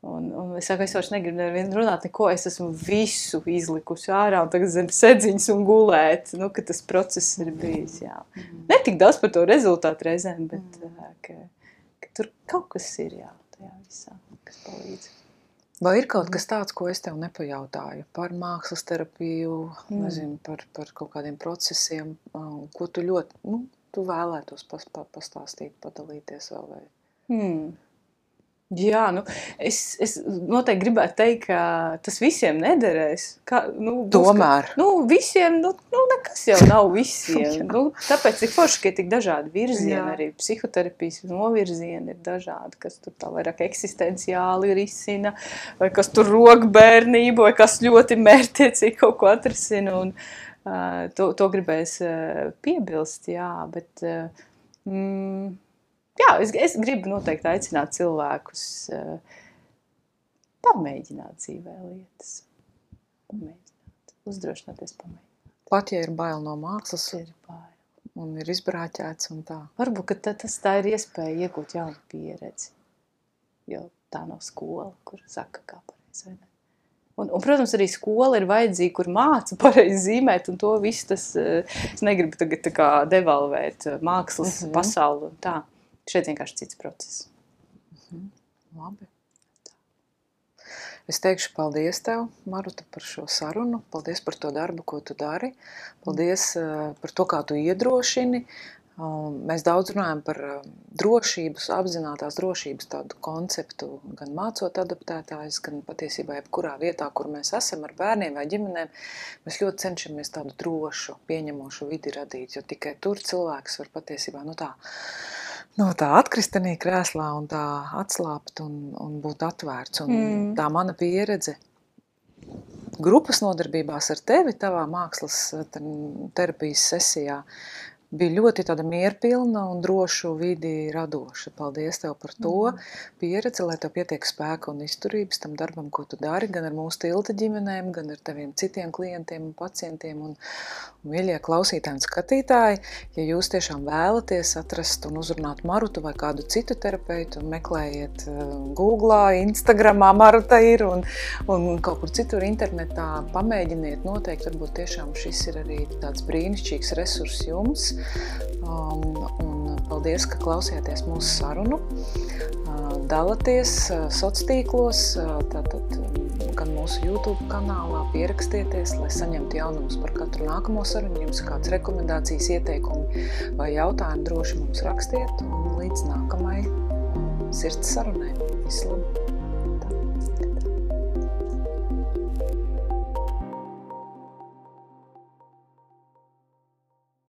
un, un es saku, es vairs negribu nevienu runāt neko, es esmu visu izlikusi ārā, un tagad zem sedziņas un gulēt, nu, ka tas process ir bijis, jā. Ne tik daudz par to rezultātu reizēm, bet ka, ka tur kaut kas ir, jā, tajā visā, kas palīdz. Vai ir kaut kas tāds, ko es tev nepajautāju par mākslas terapiju, mm. nezinu, par, par kaut kādiem procesiem, ko tu ļoti, nu, tu vēlētos pas, pa, pastāstīt, padalīties vēl vai? Mm. Jā, nu, es, es noteikti gribētu teikt, ka tas visiem nederēs. Kā, nu, būs, Tomēr. Ka, nu, visiem, nu, nu, nekas jau nav visiem. nu, tāpēc ir forši, ka ir tik dažādi virzieni, Jā. Arī psihoterapijas novirzieni ir dažādi, kas tur tā vairāk eksistenciāli risina, vai kas tur rok bērnību, vai kas ļoti mērķiecīgi kaut ko atrisina, un uh, to, to gribēs uh, piebilst, jā, bet... Uh, mm, Jā, es, es gribu noteikti aicināt cilvēkus uh, pamēģināt dzīvē lietas. Pamēģināt, uzdrošināties pamēģināt. Pat, ja ir bail no mākslas, ir bail. Un ir izbrāķēts un tā. Varbūt, ka tā, tas tā ir iespēja iegūt jaunu pieredzi. Jo tā nav skola, kur saka, kā pareizi, vai ne? Un, un, protams, arī skola ir vajadzīga, kur māca pareizi zīmēt, un to visu tas, es negribu tagad tā kā devalvēt mākslas mm-hmm. pasauli un tā. Šeit vienkārši cits process. Mhm. Labi. Es teikšu paldies tev, Maruta, par šo sarunu. Paldies par to darbu, ko tu dari. Paldies uh, par to, kā tu iedrošini. Uh, mēs daudz runājam par uh, drošības, apzinātās drošības tādu konceptu, gan mācot adaptētājus, gan patiesībā jebkurā vietā, kur mēs esam ar bērniem vai ģimenēm. Mēs ļoti cenšamies tādu drošu, pieņemošu vidi radīt, jo tikai tur cilvēks var patiesībā, nu tā, Nu, tā atkristenī krēslā un tā atslāpt un, un būt atvērts. Un mm. tā mana pieredze grupas nodarbībās ar tevi, tavā mākslas terapijas sesijā, bija ļoti tāda mierpilna un drošu vidi radoša. Paldies tev par to mm. pieredzi, lai tev pietiek spēka un izturības tam darbam, ko tu dari, gan ar mūsu tilta ģimenēm, gan ar taviem citiem klientiem un pacientiem un, un mīļie klausītāji un skatītāji. Ja jūs tiešām vēlaties atrast un uzrunāt Marutu vai kādu citu terapeitu, meklējiet Googlā, Instagramā Maruta ir un, un kaut kur citur internetā pamēģiniet noteikti, varbūt tiešām šis ir arī tāds brīnišķīgs resurs jums. Um, un paldies, ka klausījāties mūsu sarunu. Uh, dalaties uh, sociālos, uh, tātad gan mūsu YouTube kanālā, pierakstieties, lai saņemtu jaunumus par katru nākamo sarunu. Jums ir kāds rekomendācijas, ieteikumi vai jautājumi, droši mums rakstiet un līdz nākamai sirds sarunai. Visu labu!